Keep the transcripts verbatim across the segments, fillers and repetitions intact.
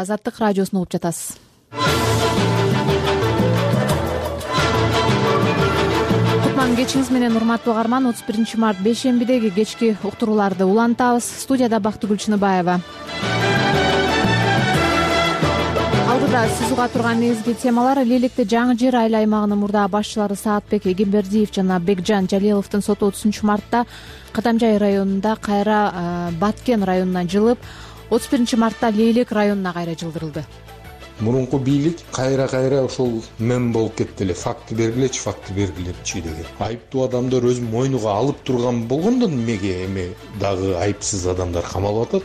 Азаттык радиосун угуп жатасыз. Кутман кечиңиз менен урматтуу угарман. отуз биринчи март бейшембидеги кечки уктурууларды улантабыз. Студияда Бактыгүл Чыныбаева. Алдыда сиз уга турган негизги темалар: Лейликте жаңы жер айыл аймагынын мурдагы башчылары Саатбек Эгембердиев жана Бекжан Жалиловдун соту отузунчу мартта Катамжай районунда кайра Баткен районуна жылып, отуз биринчи мартта Лейлек районуна кайра жылдырылды. Мурунку бийлик кайра-кайра ошол мем болуп кетти эле. Факты бергилечи, факты бергилечи деген. Айыптуу адамдар өз мойнуга алып турган болгондон эмеге эме дагы айыпсыз адамдар камалып атат?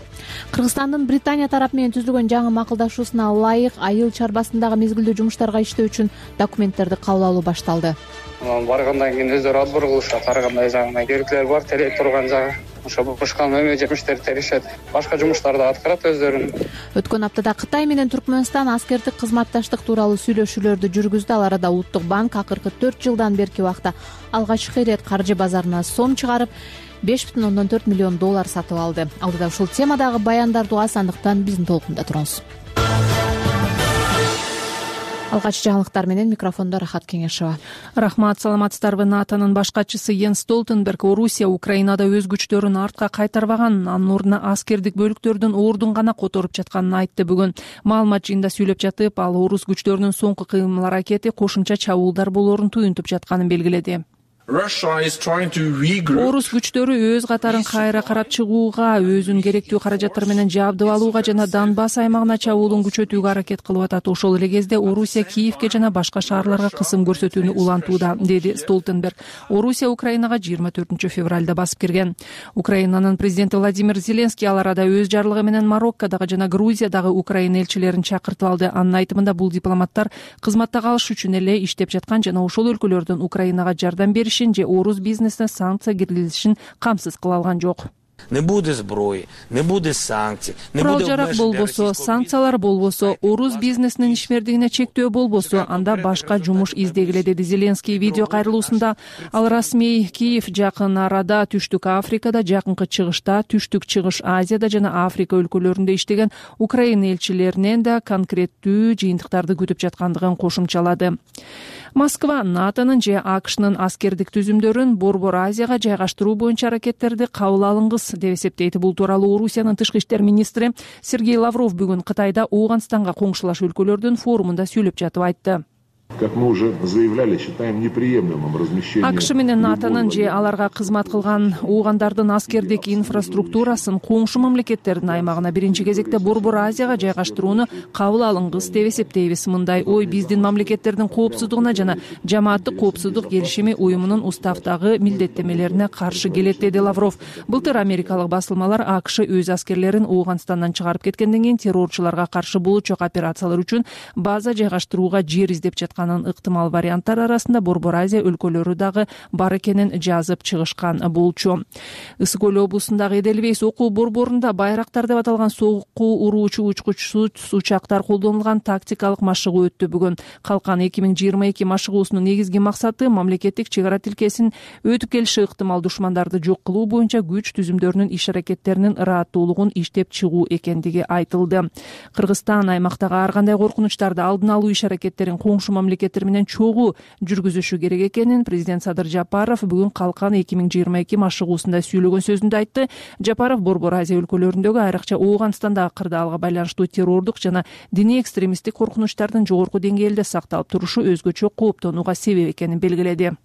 Кыргызстандын Британия тарапы менен түзүлгөн жаңы макулдашуусуна ылайык айыл чарбасындагы мезгилдүү жумуштарга иштөө үчүн документтерди кабыл алуу башталды. Баргандан кийин өздөрү отбор кылышат, ар кандай жагына керектелер бар, тере турган жагы. Ошо бушкан эме жемиштерди теришет, башка жумуштарды аткарат өздөрүн. Өткөн аптада Кытай менен Түркмөнстан аскердик кызматташтык тууралуу сүйлөшүүлөрдү жүргүздү. Ал арада Улуттук банк акыркы төрт жылдан берки убакта алгачкы ирет каржы базарына сом чыгарып, беш бүтүн ондон төрт миллион доллар сатып алды. Алдыда ушул темадагы баяндарды угасандыктан биздин толкунда туруңуз. Алгач жаңылыктар менен микрофондо Рахат Кеңешова. Рахмат, саламатсыздарбы? НАТОнун баш катчысы Йенс Столтенберг Орусия Украинада өз күчтөрүн артка кайтарбаганын, анын ордуна аскердик бөлүктөрдүн ордун гана которуп жатканын айтты бүгүн. Маалымат жыйында сүйлөп жатып, ал орус күчтөрүнүн соңку кыймыл аракети кошумча чабуулдар болоорун туюнтуп жатканын белгиледи. Орус күчтөрү өз катарын кайра карап чыгууга, өзүн керектүү каражаттар менен жабдып алууга жана Донбасс аймагына чабуулун күчөтүүгө аракет кылып атат. Ошол эле кезде Орусия Киевке жана башка шаарларга кысым көрсөтүүнү улантууда, деди Столтенберг. Орусия Украинага жыйырма төртүнчү февралда басып кирген. Украинанын президенти Владимир Зеленский ал арада өз жарлыгы менен Мароккодагы жана Грузиядагы Украина элчилерин чакыртып алды. Анын айтымында бул дипломаттар кызматта калыш үчүн эле иштеп жаткан жана ошол өлкөлөрдөн Украинага жардам бериш же орус бизнесине санкция киргизилишин камсыз кыла алган жок. Не буде зброи, не буде санкций, не Курал буде жарак болбосо, санкциялар болбосо, орус бизнесинин ишмердигине чектөө болбосо, анда башка жумуш издегиле, деди Зеленский видео кайрылуусунда. Ал расмий Киев жакын арада Түштүк Африкада, жакынкы чыгышта, Түштүк Чыгыш Азияда жана Африка өлкөлөрүндө иштеген Украина элчилеринен да конкреттүү жыйынтыктарды күтүп жаткандыгын кошумчалады. Москва НАТОнун же АКШнын аскердик түзүмдөрүн Борбор Азияга жайгаштыруу боюнча аракеттерди кабыл алыңыз деп эсептейт. Бул тууралуу Орусиянын тышкы иштер министри Сергей Лавров бүгүн Кытайда Ооганстанга коңшулаш өлкөлөрдүн форумунда сүйлөп жатып айтты. Как мы уже заявляли, считаем неприемлемым размещение. АКШ менен НАТОнун же аларга кызмат кылган оогандардын аскердик инфраструктурасын коңшу мамлекеттердин аймагына биринчи кезекте Борбор Азияга жайгаштырууну кабыл алыңыз деп эсептейбиз. Мындай ой биздин мамлекеттердин коопсуздугуна жана жамааттык коопсуздук келишими уюмунун уставдагы милдеттемелерине каршы келет, деди Лавров. Былтыр америкалык басылмалар АКШ өз аскерлерин Ооганстандан чыгарып кеткенден кийин террорчуларга каршы булучок операциялар үчүн база жайгаштырууга жер издеп жаткан ыктымал варианттар арасында Борбор Азия өлкөлөрү дагы бар экенин жазып чыгышкан болчу. Ысык көл облусундагы Эделвейс окуу борборунда байрактар деп аталган сокку уруучу учкучсуз учактар колдонулган тактикалык машыгуу өттү бүгүн. Калкан эки миң жыйырма эки машыгуусунун негизги максаты мамлекеттик чек ара тилкесин өтүп келиши ыктымал душмандарды жок кылуу боюнча күч түзүмдөрүнүн иш аракеттеринин ырааттуулугун иштеп чыгуу экендиги айтылды. Кыргызстан аймактагы ар кандай коркунучтарды алдын алуу иш аракеттерин коңшу мамлекеттер менен чогуу жүргүзүшү керек экенин президент Садыр Жапаров бүгүн Калкан эки миң жыйырма эки машыгуусунда сүйлөгөн сөзүндө айтты. Жапаров Борбор Азия өлкөлөрүндөгү айрыкча Ооганстандагы кырдаалга байланыштуу террордук жана диний экстремисттик коркунучтардын жогорку деңгээлде сакталып турушу өзгөчө кооптонууга себеп экенин белгиледи.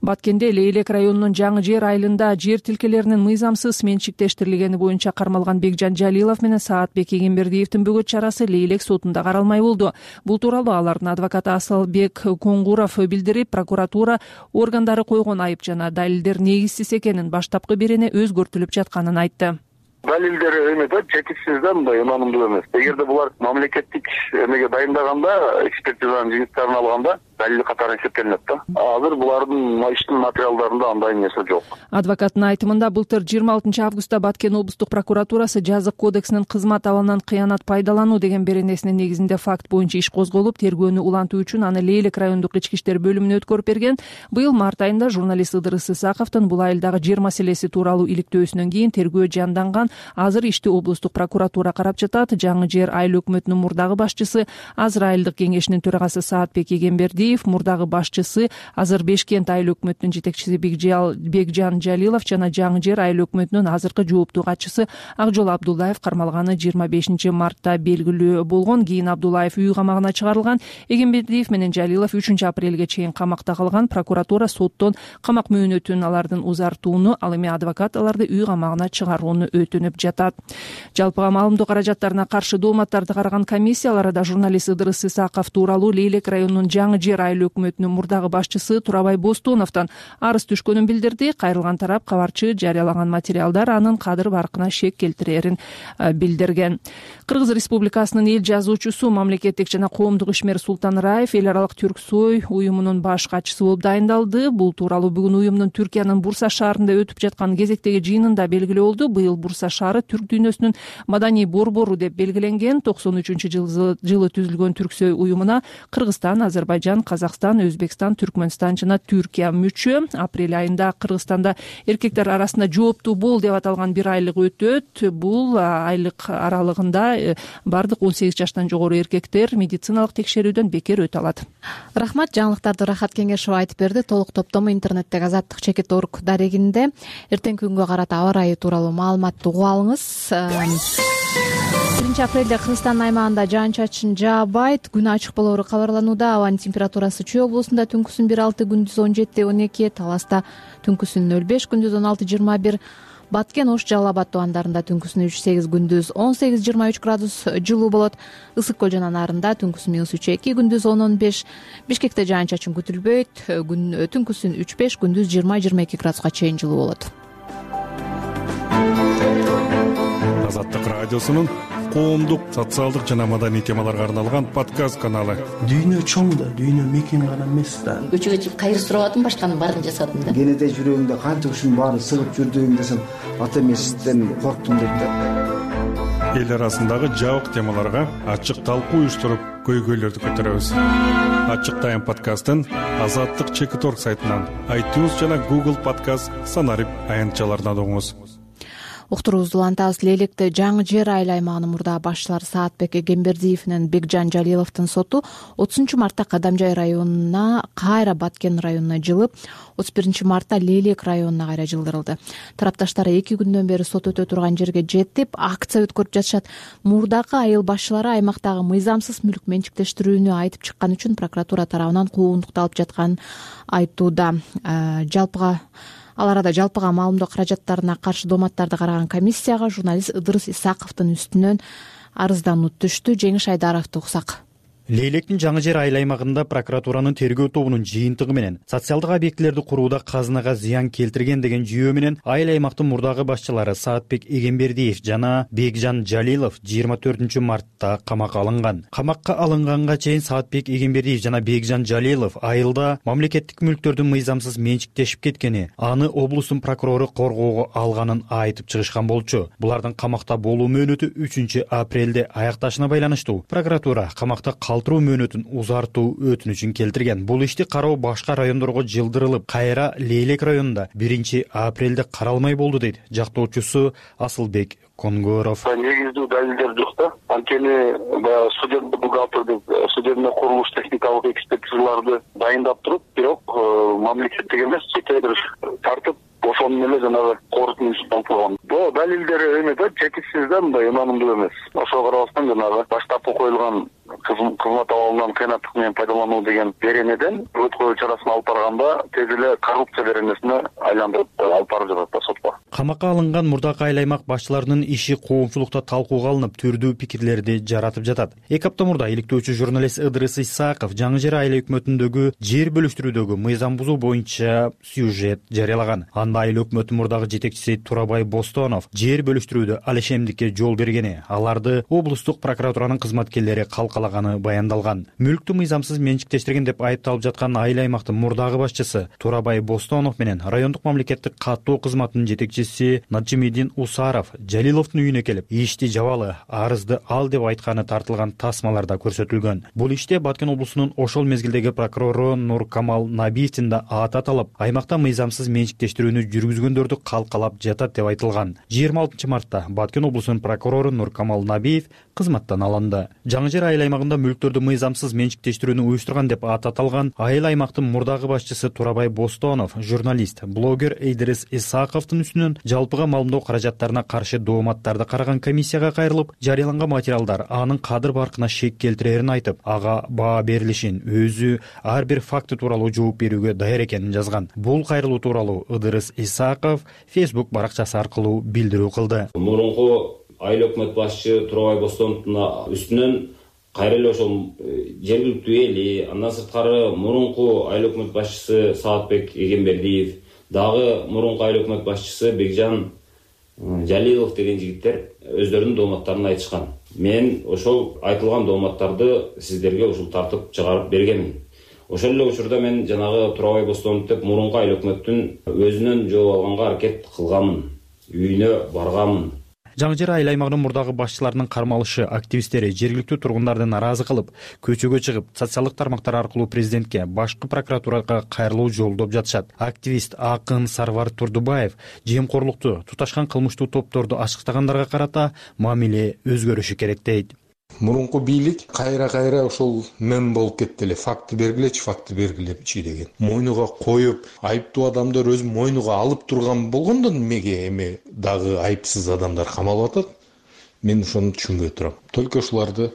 Баткенде Лейлек районунун жаңы жер айылында жер тилкелеринин мыйзамсыз менчиктештирилгени боюнча кармалган Бекжан Жалилов менен Саатбек Эгембердиевдин бөгөт чарасы Лейлек сотунда каралмай болду. Бул тууралуу алардын адвокаты Асылбек Коңгуров билдирип, прокуратура органдары койгон айып жана далилдер негизсиз экенин, баштапкы берене өзгөртүлүп жатканын айтты. Далилдер эме да жетишсиз да, мындай ынанымдуу эмес. Эгерде булар мамлекеттик эмеге дайындаганда, экспертизанын жыйынтыктарын алганда, далил катары эсептелинет да. Азыр булардын иштин материалдарында андай нерсе жок. Адвокаттын айтымында былтыр жыйырма алтынчы августта Баткен облустук прокуратурасы жазык кодексинин кызмат абалынан кыянат пайдалануу деген беренесинин негизинде факт боюнча иш козголуп, тергөөнү улантуу үчүн аны Лейлек райондук ички иштер бөлүмүнө өткөрүп берген. Быйыл март айында журналист Ыдырыс Исаковдун бул айылдагы жер маселеси тууралуу иликтөөсүнөн кийин тергөө жанданган. Азыр ишти облустук прокуратура карап жатат. Жаңы Жер айыл өкмөтүнүн мурдагы башчысы, азыр айылдык кеңешинин төрагасы Саатбек Эгембердиев, мурдагы башчысы, азыр Бешкент айыл өкмөтүнүн жетекчиси Бекжан Жалилов жана Жаңы Жер айыл өкмөтүнүн азыркы жооптуу катчысы Акжол Абдуллаев кармалганы жыйырма бешинчи мартта белгилүү болгон. Кийин Абдуллаев үй камагына чыгарылган. Эгембердиев менен Жалилов үчүнчү апрелге чейин камакта калган. Прокуратура соттон камак мөөнөтүн алардын узартууну, ал эми адвокат аларды үй камагына чыгарууну өтүнүп жатат. Жалпыга маалымдоо каражаттарына каршы дооматтарды караган комиссиялар арада журналист Ыдырыс Исаков тууралуу Лейлек районунун Жаңы Жер айыл өкмөтүнүн мурдагы башчысы Турабай Бостоновдон арыз түшкөнүн билдирди. Кайрылган тарап кабарчы жарыялаган материалдар анын кадыр баркына шек келтирерин билдирген. Кыргыз Республикасынын эл жазуучусу, мамлекеттик жана коомдук ишмер Султан Раев эл аралык Түрксой уюмунун баш катчысы болуп дайындалды. Бул тууралуу бүгүн уюмдун Түркиянын Бурса шаарында өтүп жаткан кезектеги жыйынында белгилүү болду. Быйыл Бурса шаары түрк дүйнөсүнүн маданий борбору деп белгиленген. токсон үчүнчү жылы түзүлгөн Түрксой уюмуна Кыргызстан, Азербайжан, Казакстан, Өзбекстан, Түркмөнстан жана Түркия мүчө. Апрель айында Кыргызстанда эркектер арасында жооптуу бол деп аталган бир айлык өтөт. Бул айлык аралыгында бардык он сегиз жаштан жогору эркектер медициналык текшерүүдөн бекер өтө алат. Рахмат, жаңылыктарды Рахат Кеңешова айтып берди. Толук топтому интернеттеги азаттык чекит орг дарегинде. Эртеңки күнгө карата аба ырайы тууралуу маалыматты угуп алыңыз. биринчи апрелде Кыргызстандын аймагында жаан-чачын жаабайт, күн ачык болору кабарланууда. Абанын температурасы Чүй облусунда түнкүсүн бир алты, күндүз он жети он эки, Таласта түнкүсүн нөл беш, күндүз он алты жыйырма бир, Баткен, Ош, Жалал Абад тубандарында түнкүсүн үч сегиз, күндүз он сегиз жыйырма үч градус жылуу болот. Ысык көл жана Нарында түнкүсүн минус үч эки, күндүз он он беш, Бишкекте жаан-чачын күтүлбөйт, түнкүсүн үч беш, күндүз жыйырма жыйырма эки градуска чейин жылуу болот. Азаттык радиосунун коомдук, социалдык жана маданий темаларга арналган подкаст каналы. Дүйнө чоң да, дүйнө мекен гана эмес да. Көчөгө чыгып кайыр сурабадым, башканын баарын жасадым да. Кенете жүрөгүңдө канча ушунун баарын сыгып жүрдүң десем, ата эмесизден корктум деп да. Эл арасындагы жабык темаларга ачык талкуу уюштуруп, көйгөйлөрдү көтөрөбүз. Ачык тайм подкастын Азаттык чекит орг сайтынан, iTunes жана Google подкаст санарип аянтчаларынан угуңуз. Уктуруубузду улантабыз. Лейлекте Жаңы Жер айыл аймагынын мурдагы башчылары Саатбек Эгембердиев менен Бекжан Жалиловдун соту отузунчу мартта Кадамжай районуна кайра Баткен районуна жылып, отуз биринчи мартта Лейлек районуна кайра жылдырылды. Тарапташтар эки күндөн бери сот өтө турган жерге жетип, акция өткөрүп жатышат. Мурдагы айыл башчылары аймактагы мыйзамсыз мүлк менчиктештирүүнү айтып чыккан үчүн прокуратура тарабынан куугунтукталып жатканын айтууда. Жалпыга Ал арада жалпыга маалымдоо каражаттарына каршы дооматтарды караган комиссияга журналист Ыдырыс Исаковдун үстүнөн арыздануу түштү. Жеңиш Айдаровду уксак. Лейлектин Жаңы Жер айыл аймагында прокуратуранын тергөө тобунун жыйынтыгы менен социалдык объектилерди курууда казынага зыян келтирген деген жүйөө менен айыл аймактын мурдагы башчылары Саатбек Эгембердиев жана Бекжан Жалилов жыйырма төртүнчү мартта камакка алынган. Камакка алынганга чейин Саатбек Эгембердиев жана Бекжан Жалилов айылда мамлекеттик мүлктөрдүн мыйзамсыз менчиктешип кеткени, аны облустун прокурору коргоого алганын айтып чыгышкан болчу. Булардын камакта болуу мөөнөтү үчүнчү апрелде аякташына байланыштуу. Прокуратура камакта калтыруу мөөнөтүн узартуу өтүнүчүн келтирген. Бул ишти кароо башка райондорго жылдырылып, кайра Лейлек районунда биринчи апрелде каралмай болду дейт жактоочусу Асылбек Конгоров. Негиздүү далилдер жок да. Анткени баягы судебный бухгалтер деп судебный курулуш техникалык экспертизаларды дайындап туруп, бирок мамлекеттик эмес, чете бир тартып ошону эле жанагы корутундусун алып койгон. Бул далилдер эме да, четиксиз да, мындай ынанымдуу эмес. Ошого карабастан жанагы баштапкы коюлган кызмат абалынан кыянаттык менен пайдалануу деген беренеден өткөрүү чарасын алып барганда тез эле коррупция беренесине айландырып алып барып жатат да сотко. Камакка алынган мурдакы айыл аймак башчыларынын иши коомчулукта талкууга алынып, түрдүү пикирлерди жаратып жатат. Эки апта мурда иликтөөчү журналист Ыдырыс Исаков Жаңы Жер айыл өкмөтүндөгү жер бөлүштүрүүдөгү мыйзам бузуу боюнча сюжет жарыялаган. Анда айыл өкмөтүнүн мурдагы жетекчиси Турабай Бостонов жер бөлүштүрүүдө алешемдикке жол бергени, аларды облустук прокуратуранын кызматкерлери калкалаганы баяндалган. Мүлктү мыйзамсыз менчиктештирген деп айыпталып жаткан айыл аймактын мурдагы башчысы Турабай Бостонов менен райондук мамлекеттик каттоо кызматынын жетекчиси Наджимидин Усаров Жалиловдун үйүнө келип, ишти жабалы, арызды ал деп айтканы тартылган тасмаларда көрсөтүлгөн. Бул иште Баткен облусунун ошол мезгилдеги прокурору Нуркамал Набиевдин да аты аталып, аймакта мыйзамсыз менчиктештирүүнү жүргүзгөндөрдү калкалап жатат деп айтылган. жыйырма алтынчы мартта Баткен облусунун прокурору Нуркамал Набиев кызматтан алынды. Жаңы Жер айыл аймагында мүлктөрдү мыйзамсыз менчиктештирүүнү уюштурган деп аты аталган айыл аймактын мурдагы башчысы Турабай Бостонов, журналист, блогер Эйдрис Исаковдун үстүнөн жалпыга маалымдоо каражаттарына каршы дооматтарды караган комиссияга кайрылып, жарыяланган материалдар анын кадыр баркына шек келтирерин айтып, ага баа берилишин, өзү ар бир факты тууралуу жооп берүүгө даяр экенин жазган. Бул кайрылуу тууралуу Эйдрис Исаков Facebook баракчасы аркылуу билдирүү кылды. Мурунку айыл өкмөт башчы Турабай Бостоновдун үстүнөн кайра эле ошол жергиликтүү эли, андан сырткары мурунку айыл өкмөт башчысы Саатбек Эгембердиев, дагы мурунку айыл өкмөт башчысы Бекжан Жалилов деген жигиттер өздөрүнүн дооматтарын айтышкан. Мен ошол айтылган дооматтарды сиздерге ушул тартып чыгарып бергенмин. Ошол эле учурда мен жанагы Турабай Бостонов деп мурунку айыл өкмөттүн өзүнөн жооп алганга аракет кылганмын, үйүнө барганмын. Жаңы Жер айыл аймагынын мурдагы башчыларынын кармалышы активисттери жергиликтүү тургундарды нааразы кылып, көчөгө чыгып, социалдык тармактар аркылуу президентке, башкы прокуратурага кайрылуу жолдоп жатышат. Активист Акын Сарвар Турдубаев жемкорлукту, туташкан кылмыштуу топторду ачыктагандарга карата мамиле өзгөрүшү керек дейт. Мурунку бийлик кайра-кайра ошол мем болуп кетти эле. Факты бергилечи, факты бергилечи деген. Мойнуга коюп, айыптуу адамдар өз мойнуга алып турган болгондон эмеге эме дагы айыпсыз адамдар камалып атат? Мен ошону түшүнбөй турам. Только ушуларды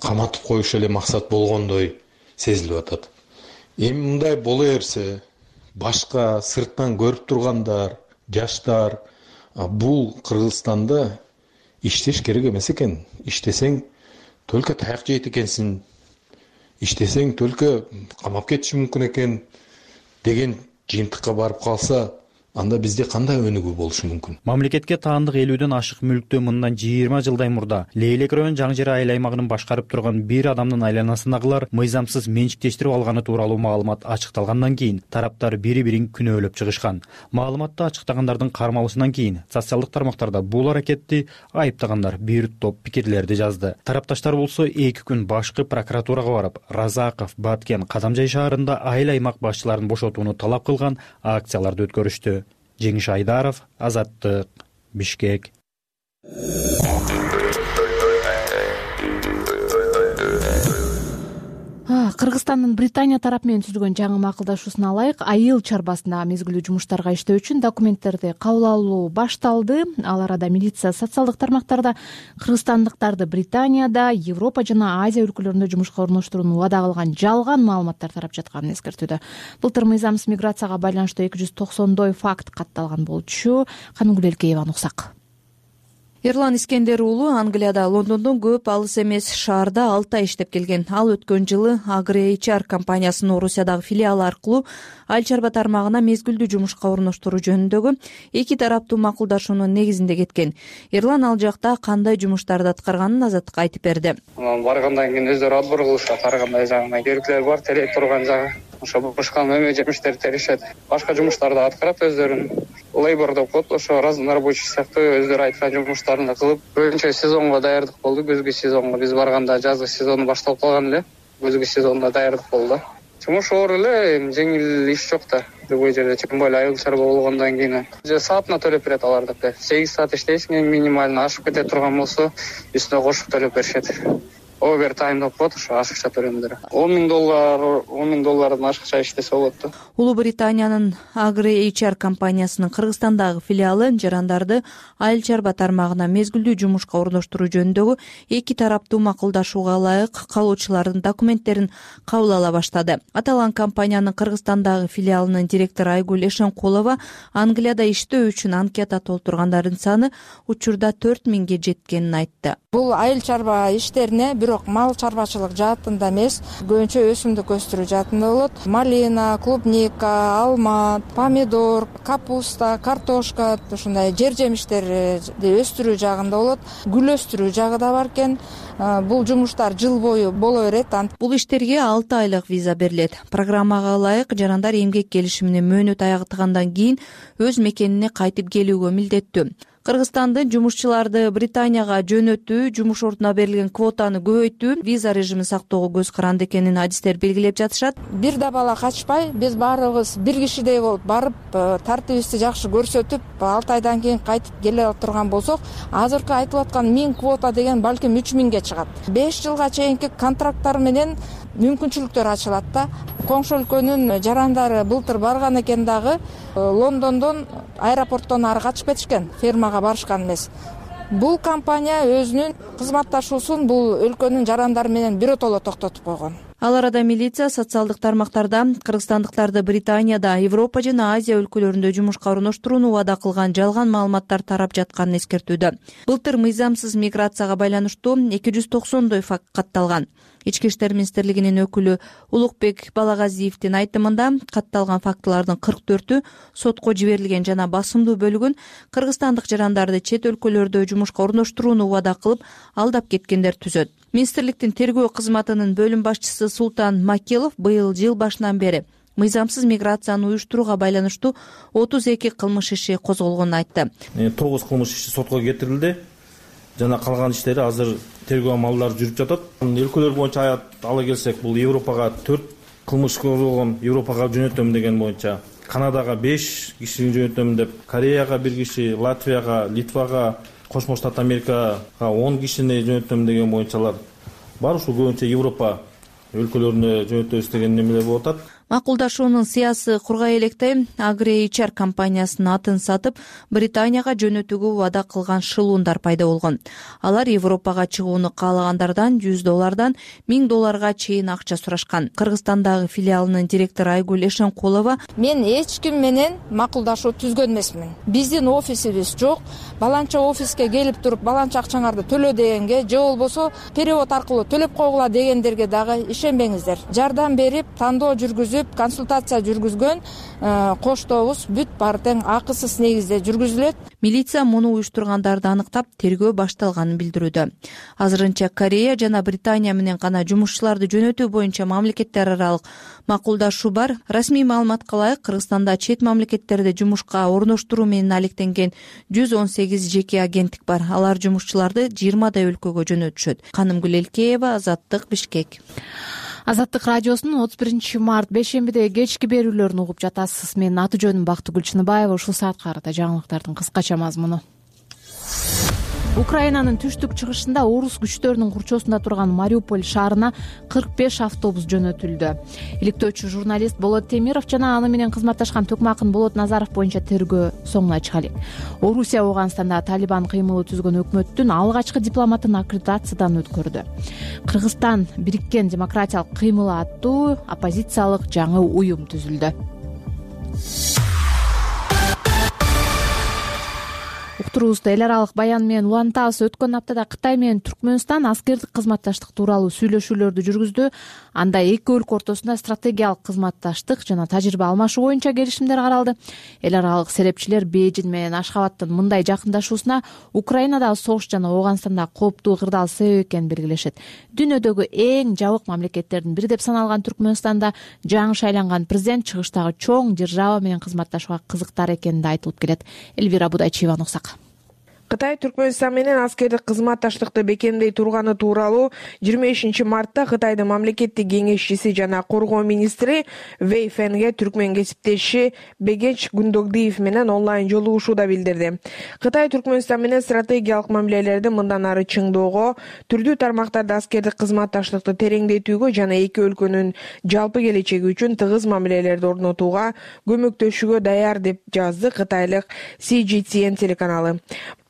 каматып коюш эле максат болгондой сезилип атат. Эми мындай боло берсе, башка сырттан көрүп тургандар, жаштар бул Кыргызстанда иштеш керек эмес экен. Иштесең только таяк жейт экенсиң, иштесең только камап кетиши мүмкүн экен деген жыйынтыкка барып калса, анда бизде кандай өнүгүү болушу мүмкүн? Мамлекетке таандык элүүдөн ашык мүлктү мындан жыйырма жылдай мурда Лейлек район Жаңы Жер айыл аймагынын башкарып турган бир адамдын айланасындагылар мыйзамсыз менчиктештирип алганы тууралуу маалымат ачыкталгандан кийин тараптар бири-бирин күнөөлөп чыгышкан. Маалыматты ачыктагандардын кармалышынан кийин социалдык тармактарда бул аракетти айыптагандар бир топ пикирлерди жазды. Тарапташтар болсо эки күн башкы прокуратурага барып, Разаков, Баткен, Кадамжай шаарында айыл аймак башчыларын бошотууну талап кылган акцияларды өткөрүштү. Жеңиш Айдаров, Азаттык, Бишкек. Кыргызстандын Британия тарапы менен түзүлгөн жаңы макулдашуусуна ылайык айыл чарбасында мезгилдүү жумуштарга иштөө үчүн документтерди кабыл алуу башталды. Ал арада милиция социалдык тармактарда кыргызстандыктарды Британияда, Европа жана Азия өлкөлөрүндө жумушка орноштурууну убада кылган жалган маалыматтар тарап жатканын эскертүүдө. Былтыр мыйзамсыз миграцияга байланыштуу эки жүз токсондой факт катталган болчу. Каныгүл Элкееванын уксак. Эрлан Искендер уулу Англияда Лондондон көп алыс эмес шаарда алты ай иштеп келген. Ал өткөн жылы AgriHR эйч ар компаниясынын Орусиядагы филиалы аркылуу айыл чарба тармагына мезгилдүү жумушка орноштуруу жөнүндөгү эки тараптуу макулдашуунун негизинде кеткен. Эрлан ал жакта кандай жумуштарды аткарганын Азаттыкка айтып берди. Баргандан кийин өздөрү отбор кылышат, ар кандай жагына керектелер бар, телек турган жагы. Ошо бушкан эме жемиштерди теришет. Башка жумуштарды аткарат өздөрүнүн. Лейбор деп коет, ошо рабочий сыяктуу өздөрү айткан жумуштарын кылып, көбүнчө сезонго даярдык болду. Көзгү сезонго биз барганда жазгы сезону башталып калган эле. Көзгү сезонуна даярдык болду. Жумуш оор эле, жеңил иш жок да. Любой жерде тем более айыл чарба болгондон кийин саатына төлөп берет алар деп. сегиз саат иштейсиң, минимально ашып кете турган болсо, үстүнө кошуп төлөп беришет. Овертайм деп коет, ошо ашыкча төлөмдөр. он миң доллар, он миң доллардан ашыкча иштесе болот да. Улуу Британиянын AgriHR эйч ар компаниясынын Кыргызстандагы филиалы жарандарды айыл чарба тармагына мезгилдүү жумушка орноштуруу жөнүндөгү эки тараптуу макулдашууга ылайык калуучулардын документтерин кабыл ала баштады. Аталган компаниянын Кыргызстандагы филиалынын директору Айгүл Эшенкулова Англияда иштөө үчүн анкета толтургандардын саны учурда төрт миңге жеткенин айтты. Бул айыл чарба иштерине, бирок мал чарбачылык жаатында эмес, көбүнчө өсүмдүк өстүрүү жаатында болот. Малина, клубника, алма, помидор, капуста, картошка, ушундай жер жемиштерди өстүрүү жагында болот. Гүл өстүрүү жагы да бар экен. Бул жумуштар жыл бою боло берет. Бул иштерге алты айлык виза берилет. Программага ылайык жарандар эмгек келишимине мөөнөт аягытыгандан кийин өз мекенине кайтып келүүгө милдеттүү. Кыргызстандын жумушчуларды Британияга жөнөтүү, жумуш ордуна берилген квотаны көбөйтүү, виза режимин сактоого көз каранды экенин адистер белгилеп жатышат. Бир да бала качпай, биз баарыбыз бир кишидей болуп барып, тартибибизди жакшы көрсөтүп, алты айдан кийин кайтып келе турган болсок, азыркы айтылып аткан миң квота деген балким үч миңге чыгат. беш жылга чейинки контракттар менен мүмкүнчүлүктөр ачылат да. Коңшу өлкөнүн жарандары былтыр барган экен дагы, Лондондон аэропорттон ары качып кетишкен, фермага барышкан эмес. Бул компания өзүнүн кызматташуусун бул өлкөнүн жарандары менен биротоло токтотуп койгон. Ал арада милиция социалдык тармактарда кыргызстандыктарды Британияда, Европа жана Азия өлкөлөрүндө жумушка орноштурууну убада кылган жалган маалыматтар тарап жатканын эскертүүдө. Былтыр мыйзамсыз миграцияга байланыштуу эки жүз токсондой факт катталган. Ички иштер министрлигинин өкүлү Улукбек Балагазиевдин айтымында катталган фактылардын кырк төртү сотко жиберилген жана басымдуу бөлүгүн кыргызстандык жарандарды чет өлкөлөрдө жумушка орноштурууну убада кылып алдап кеткендер түзөт. Министрликтин тергөө кызматынын бөлүм башчысы Султан Макилов быйыл жыл башынан бери мыйзамсыз миграцияны уюштурууга байланыштуу отуз эки кылмыш иши козголгонун айтты. тогуз кылмыш иши сотко кетирилди жана калган иштери азыр тергөө амалдары жүрүп жатат. Өлкөлөр боюнча ала келсек, бул Европага төрт кылмыш козголгон, Европага жөнөтөм деген боюнча, Канадага беш кишини жөнөтөм деп, Кореяга бир киши, Латвияга, Литвага, Кошмо Штат Америкага он кишини жөнөтөм деген боюнчалар бар. Ушул көбүнчө Европа өлкөлөрүнө жөнөтөбүз деген немелер болуп атат. Макулдашуунун сыясы кургай электе AgriHR Ар компаниясынын атын сатып Британияга жөнөтүүгө убада кылган шылуундар пайда болгон. Алар Европага чыгууну каалагандардан жүз доллардан миң долларга чейин акча сурашкан. Кыргызстандагы филиалынын директору Айгүл Эшенкулова: "Мен эч ким менен макулдашуу түзгөн эмесмин. Биздин офисибиз жок. Баланча офиске келип туруп баланча акчаңарды төлө дегенге, же болбосо перевод аркылуу төлөп койгула дегендерге дагы ишенбеңиздер. Жардам берип, тандоо жүргүзүп, консультация жүргүзгөн коштобуз бүт баары тең акысыз негизде жүргүзүлөт." Милиция муну уюштургандарды аныктап, тергөө башталганын билдирүүдө. Азырынча Корея жана Британия менен гана жумушчуларды жөнөтүү боюнча мамлекеттер аралык макулдашуу бар. Расмий маалыматка ылайык, Кыргызстанда чет мамлекеттерде жумушка орноштуруу менен алектенген жүз он сегиз жеке агенттик бар. Алар жумушчуларды жыйырмадай өлкөгө жөнөтүшөт. Канымгүл Элкеева, Азаттык, Бишкек. Азаттык радиосунун отуз биринчи март бейшембиде кечки берүүлөрүн угуп жатасыз. Менин аты жөнүм Бактыгүл Чыныбаева. Ушул саатка карата жаңылыктардын кыскача мазмуну. Украинанын түштүк чыгышында орус күчтөрүнүн курчоосунда турган Мариуполь шаарына кырк беш автобус жөнөтүлдү. Иликтөөчү журналист Болот Темиров жана аны менен кызматташкан Төкмакын Болот Назаров боюнча тергөө соңуна чыга элек. Орусия Ооганстанда Талибан кыймылы түзгөн өкмөттүн алгачкы дипломатын аккредитациядан өткөрдү. Кыргызстан Бириккен демократиялык кыймылы аттуу оппозициялык жаңы уюм түзүлдү. Уктуруубузду эл аралык баян менен улантабыз. Өткөн аптада Кытай менен Түркмөнстан аскердик кызматташтык тууралуу сүйлөшүүлөрдү жүргүздү. Анда эки өлкө ортосунда стратегиялык кызматташтык жана тажрыйба алмашуу боюнча келишимдер каралды. Эл аралык серепчилер Бейжин менен Ашхабадтын мындай жакындашуусуна Украинадагы согуш жана Ооганстандагы кооптуу кырдаал себеп экенин белгилешет. Дүйнөдөгү эң жабык мамлекеттердин бири деп саналган Түркмөнстанда жаңы шайланган президент чыгыштагы чоң держава менен кызматташууга кызыктар экени да айтылып келет. Элвира Будайчиева нуксак. Кытай Түркмөнстан менен аскердик кызматташтыкты бекемдей турганы тууралуу жыйырма бешинчи мартта Кытайдын мамлекеттик кеңешчиси жана коргоо министри Вэй Фенге түркмөн кесиптеши Бегенч Гундогдиев менен онлайн жолугушууда билдирди. Кытай Түркмөнстан менен стратегиялык мамилелерди мындан ары чыңдоого, түрдүү тармактарда аскердик кызматташтыкты тереңдетүүгө жана эки өлкөнүн жалпы келечеги үчүн тыгыз мамилелерди орнотууга көмөктөшүүгө даяр деп жазды кытайлык Си Жи Си Эн телеканалы.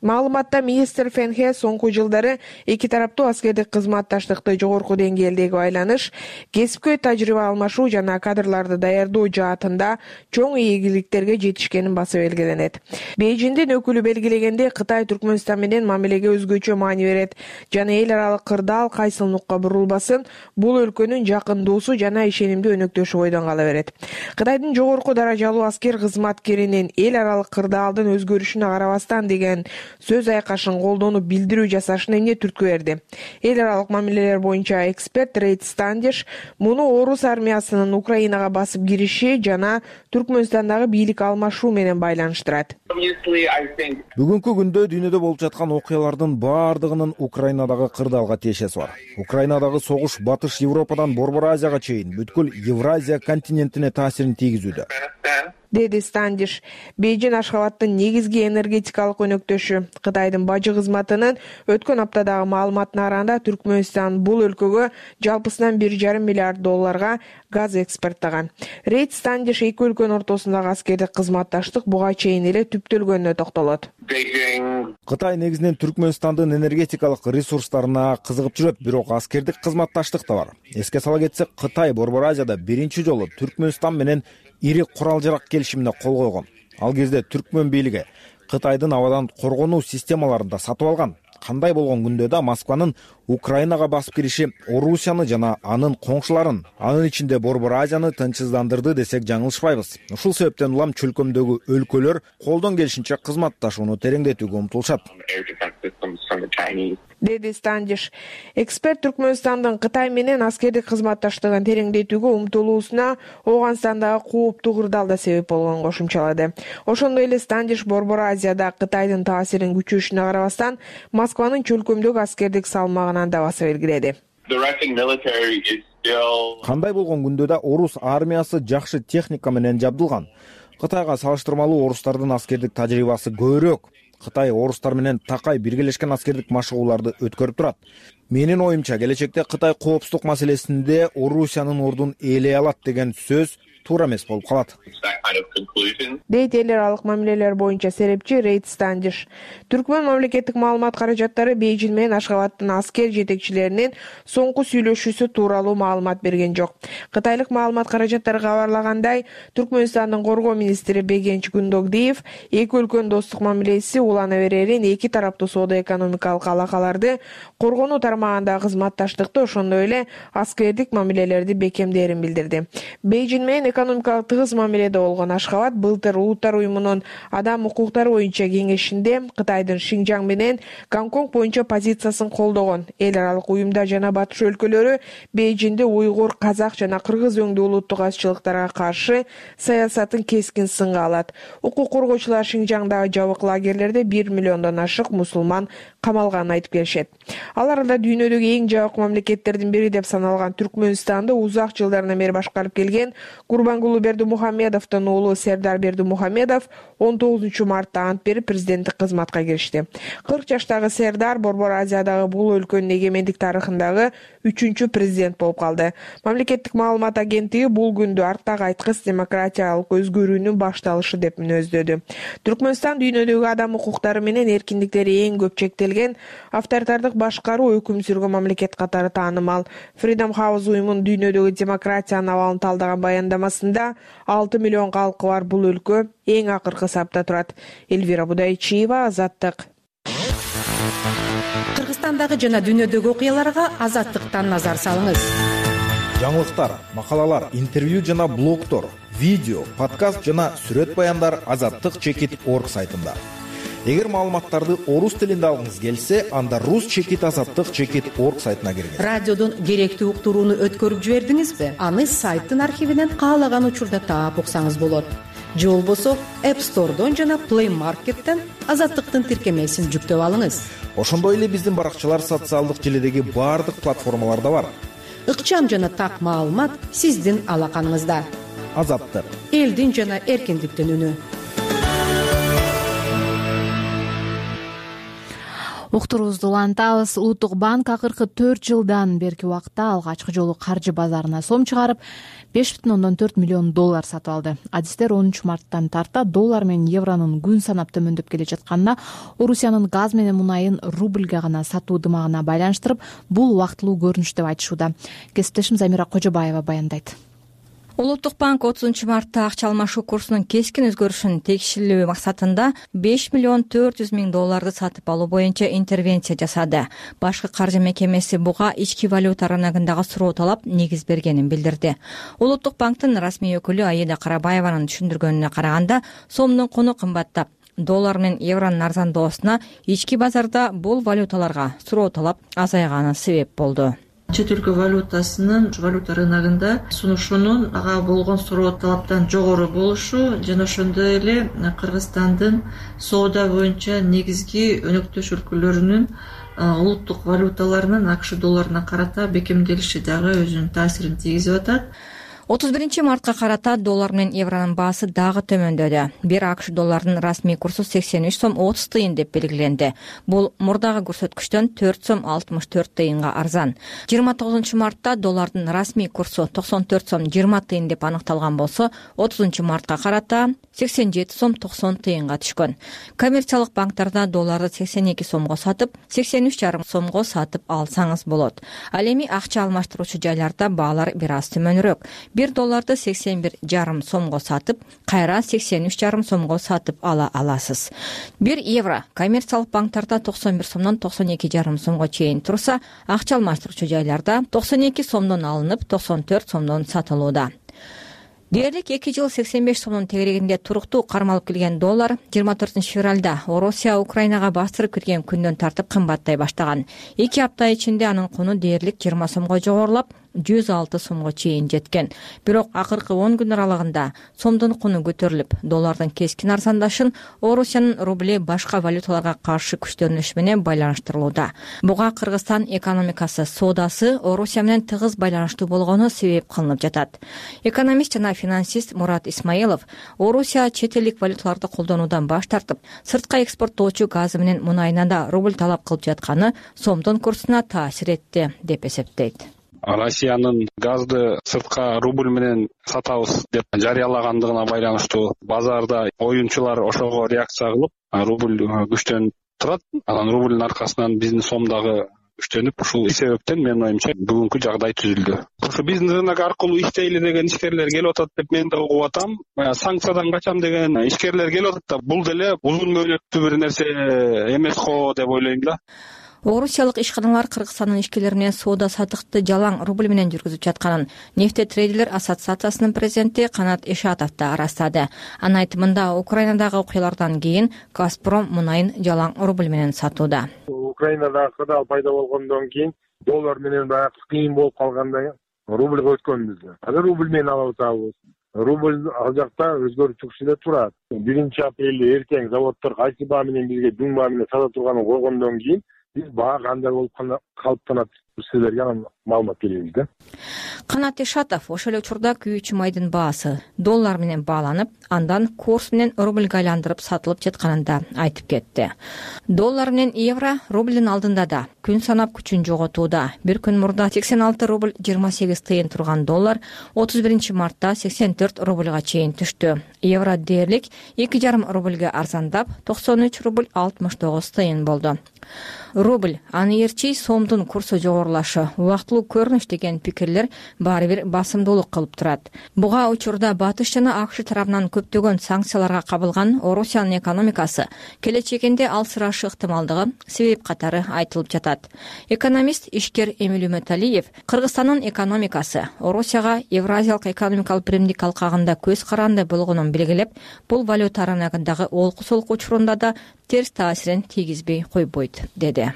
Маалыматта министр Фенхе соңку жылдары эки тараптуу аскердик кызматташтыкты жогорку деңгээлдеги байланыш, кесипкөй тажрыйба алмашуу жана кадрларды даярдоо жаатында чоң ийгиликтерге жетишкенин баса белгиленет. Бейжиңдин өкүлү белгилегендей, Кытай Түркмөнстан менен мамилеге өзгөчө маани берет жана эл аралык кырдаал кайсылыкка бурулбасын, бул өлкөнүн жакын досу жана ишенимдүү өнөктөшү бойдон кала берет. Кытайдын жогорку даражалуу аскер кызматкеринин эл аралык кырдаалдын өзгөрүшүнө карабастан деген сөз айкашын колдонуп билдирүү жасашына эмне түрткү берди? Эл аралык мамилелер боюнча эксперт Рейд Стандиш муну орус армиясынын Украинага басып кириши жана Түркмөнстандагы бийлик алмашуу менен байланыштырат. Бүгүнкү күндө дүйнөдө болуп жаткан окуялардын баардыгынын Украинадагы кырдаалга тиешеси бар. Украинадагы согуш Батыш Европадан Борбор Азияга чейин бүткүл Евразия континентине таасирин тийгизүүдө, деди Стандиш. Бейжиң Ашхабадтын негизги энергетикалык өнөктөшү. Кытайдын бажы кызматынын өткөн аптадагы маалыматына караганда Түркмөнстан бул өлкөгө жалпысынан бир жарым миллиард долларга газ экспорттогон. Рейд Стандиш эки өлкөнүн ортосундагы аскердик кызматташтык буга чейин эле түптөлгөнүнө токтолот. Кытай негизинен Түркмөнстандын энергетикалык ресурстарына кызыгып жүрөт, бирок аскердик кызматташтык да бар. Эске сала кетсек, Кытай Борбор Азияда биринчи жолу Түркмөнстан менен ири курал-жарак келишимине кол койгон. Ал кезде түркмөн бийлиги Кытайдын абадан коргонуу системаларын да сатып алган. Кандай болгон күндө да Москванын Украинага басып кириши Орусияны жана анын коңшуларын, анын ичинде Борбор Азияны тынчсыздандырды десек жаңылышпайбыз. Ушул себептен улам чөлкөмдөгү өлкөлөр колдон келишинче кызматташууну тереңдетүүгө умтулушат, деди Стандиш. Эксперт Түркмөнстандын Кытай менен аскердик кызматташтыгын тереңдетүүгө умтулуусуна Ооганстандагы кооптуу кырдаал да себеп болгонун кошумчалады. Ошондой эле Стандиш Борбор Азияда Кытайдын таасирин күчөшүнө карабастан Москванын чөлкөмдөгү аскердик салмагынан да баса белгиледи. Кандай болгон күндө да орус армиясы жакшы техника менен жабдылган. Кытайга салыштырмалуу орустардын аскердик тажрыйбасы көбүрөөк. Кытай орустар менен такай биргелешкен аскердик машыгууларды өткөрүп турат. Менин оюмча, келечекте Кытай коопсуздук маселесинде Орусиянын ордун ээлей алат деген сөз туура эмес болуп калат, дейт эл аралык мамилелер боюнча серепчи Рейд Стандиш. Түркмөн мамлекеттик маалымат каражаттары Бейжиң менен Ашхабадтын аскер жетекчилеринин соңку сүйлөшүүсү тууралуу маалымат берген жок. Кытайлык маалымат каражаттары кабарлагандай, Түркмөнстандын коргоо министри Бегенч Гундогдиев эки өлкөнүн достук мамилеси улана берерин, эки тараптуу соода-экономикалык алакаларды коргонуу тармагындагы кызматташтыкты, ошондой эле аскердик мамилелерди бекемдээрин билдирди. Бейжиң менен экономикалык тыгыз мамиледе болгон Ашхабад былтыр Улуттар уюмунун адам укуктары боюнча кеңешинде Кытайдын Шинжаң менен Гонконг боюнча позициясын колдогон. Эл аралык уюмда жана батыш өлкөлөрү Бейжиңде уйгур, казак жана кыргыз өңдүү улуттук азчылыктарга каршы саясатын кескин сынга алат. Укук коргоочулар Шинжаңдагы жабык лагерлерде бир миллиондон ашык мусулман камалганын айтып келишет. Ал арада дүйнөдөгү эң жабык мамлекеттердин бири деп саналган Түркмөнстанды узак жылдардан бери башкарып келген Курбангулу Бердимухамедовдун уулу Сердар Бердимухамедов он тогузунчу мартта ант берип президенттик кызматка киришти. кырк жаштагы Сердар Борбор Азиядагы бул өлкөнүн эгемендик тарыхындагы үчүнчү президент болуп калды. Мамлекеттик маалымат агенттиги бул күндү арттагы айткыс демократиялык өзгөрүүнүн башталышы деп мүнөздөдү. Түркмөнстан дүйнөдөгү адам укуктары менен эркиндиктери эң көп чектелген авторитардык башкаруу өкүм сүргөн мамлекет катары таанымал. Freedom House уюмунун дүйнөдөгү демократиянын абалын талдаган баяндамасында алты миллион калкы бар бул өлкө эң акыркы сапта турат. Эльвира Будайчиева, Азаттык. Кыргызстандагы жана дүйнөдөгү окуяларга Азаттыктан назар салыңыз. Жаңылыктар, макалалар, интервью жана блогтор, видео, подкаст жана сүрөт баяндар азаттык чекит точка орг сайтында. Эгер маалыматтарды орус тилинде алгыңыз келсе, анда рус чекит азаттык чекит точка орг сайтына киргиз. Радиодон керектүү уктурууну өткөрүп жибердиңизби? Аны сайттын архивинен каалаган учурда таап уксаңыз болот. Же болбосо App Store'дон жана Play Market'тен Азаттыктын тиркемесин жүктөп алыңыз. Ошондой эле биздин баракчалар социалдык желедеги баардык платформаларда бар. Ыкчам жана так маалымат сиздин алаканыңызда. Азаттык, элдин жана эркиндиктин үнү. уктуруубузду улантабыз. Улуттук банк акыркы төрт жылдан берки убакта алгачкы жолу каржы базарына сом чыгарып, беш бүтүн ондон төрт миллион доллар сатып алды. Адистер онунчу марттан тарта доллар менен евронун күн санап төмөндөп келе жатканына, Орусиянын газ менен мунайын рубльге гана сатуу дымагына байланыштырып, бул убактылуу көрүнүш деп айтышууда. Кесиптешим Замира Кожобаева баяндайт. Улуттук банк отузунчу мартта акча алмашуу курсунун кескин өзгөрүшүн текшерүү максатында беш миллион төрт жүз миң долларды сатып алуу боюнча интервенция жасады. Башкы каржы мекемеси буга ички валюта рыногундагы суроо талап негиз бергенин билдирди. Улуттук банктын расмий өкүлү Аида Карабаеванын түшүндүргөнүнө караганда, сомдун куну кымбаттап, доллар менен евронун арзандоосуна ички базарда бул валюталарга суроо талап азайганы себеп болду. Чет өлкө валютасынын валюта рыногунда сунушунун ага болгон суроо талаптан жогору болушу жана ошондой эле Кыргызстандын соода боюнча негизги өнөктөш өлкөлөрүнүн улуттук валюталарынын АКШ долларына карата бекемделиши дагы өзүнүн таасирин тийгизип атат. отуз биринчи мартка карата доллар менен евронун баасы дагы төмөндөдү. Бир АКШ долларынын расмий курсу сексен үч сом отуз тыйын деп белгиленди. Бул мурдагы көрсөткүчтөн төрт сом алтымыш төрт тыйынга арзан. жыйырма тогузунчу мартта доллардын расмий курсу токсон төрт сом жыйырма тыйын деп аныкталган болсо, отузунчу мартка карата сексен жети сом токсон тыйынга түшкөн. Коммерциялык банктарда долларды сексен эки сомго сатып, сексен үч жарым сомго сатып алсаңыз болот. Ал эми акча алмаштыруучу жайларда баалар бир аз төмөнүрөөк. Бир долларды сексен бир жарым сомго сатып, кайра сексен үч жарым сомго сатып ала аласыз. Бир евро коммерциялык банктарда токсон бир сомдон токсон эки жарым сомго чейин турса, акча алмаштыруучу жайларда токсон эки сомдон алынып, токсон төрт сомдон сатылууда. Дээрлик эки жыл сексен беш сомдун тегерегинде туруктуу кармалып келген доллар жыйырма төртүнчү февралда Орусия Украинага бастырып кирген күндөн тартып кымбаттай баштаган. эки апта ичинде анын куну дээрлик жыйырма сомго жогорулап, жүз алты сомго чейин жеткен. Бирок акыркы он күн аралыгында сомдун куну көтөрүлүп, доллардын кескин арзандашын Орусиянын рубли башка валюталарга каршы күчтөнүшү менен байланыштырылууда. Буга Кыргызстан экономикасы, соодасы Орусия менен тыгыз байланыштуу болгону себеп кылынып жатат. Экономист жана финансист Мурат Исмаилов Орусия чет элдик валюталарды колдонуудан баш тартып, сыртка экспорттоочу газы менен мунайына да рубль талап кылып жатканы сомдун курсуна таасир этти деп эсептейт. Россиянын газды сыртка рубль менен сатабыз деп жарыялагандыгына байланыштуу базарда оюнчулар ошого реакция кылып, рубль күчтөнүп турат. Анан рубльдин аркасынан биздин сом дагы күчтөнүп, ушул себептен менин оюмча бүгүнкү жагдай түзүлдү. Ошо биздин рынок аркылуу иштейли деген ишкерлер келип атат деп мен да угуп атам. Санкциядан качам деген ишкерлер келип атат да, бул деле узун мөөнөттүү бир нерсе эмес го деп ойлойм да. Орусиялык ишканалар Кыргызстандын ишкерлери менен соода саттыкты жалаң рубль менен жүргүзүп жатканын нефтетрейдерлер ассоциациясынын президенти Канат Ишатов да арастады. Анын айтымында, Украинадагы окуялардан кийин Газпром мунайын жалаң рубль менен сатууда. Украинадагы кырдаал пайда болгондон кийин доллар менен баягы кыйын болуп калганда рубльга өткөнбүз. Азыр рубль менен алып атабыз. Рубль ал жакта өзгөрүп чыгышы эле турат. биринчи апрелде эртең заводдор кайсы баа менен бизге дүң баа менен сата турганын койгондон кийин биз баа кандай болуп калыптанат силерге анан маалымат беребиз да. Канат Ишатов ошол эле учурда күйүүчү майдын баасы доллар менен бааланып, андан курс менен рубльга айландырып сатылып жатканын да айтып кетти. Доллар менен евро рубльдин алдында да күн санап күчүн жоготууда. Бир күн мурда сексен алты рубль жыйырма сегиз тыйын турган доллар отуз биринчи мартта сексен төрт рубльга чейин түштү. Евро дээрлик эки жарым рубльге арзандап, токсон үч рубль алтымыш тогуз тыйын болду. Рубль, аны эрчи сомдун курсу жогорулашы убактылуу көрүнүш деген пикирлер баары бир басымдуулук кылып турат. Буга учурда Батыш жана АКШ тарабынан көптөгөн санкцияларга кабылган Орусиянын экономикасы келечегинде алсырашы ыктымалдыгы себеп катары айтылып жатат. Экономист ишкер Эмиль Үмөталиев Кыргызстандын экономикасы Орусияга Евразиялык экономикалык биримдик алкагында көз каранды болгонун белгилеп, бул валюта рыногундагы олку-солку учурунда да терс таасирин тийгизбей койбойт деди.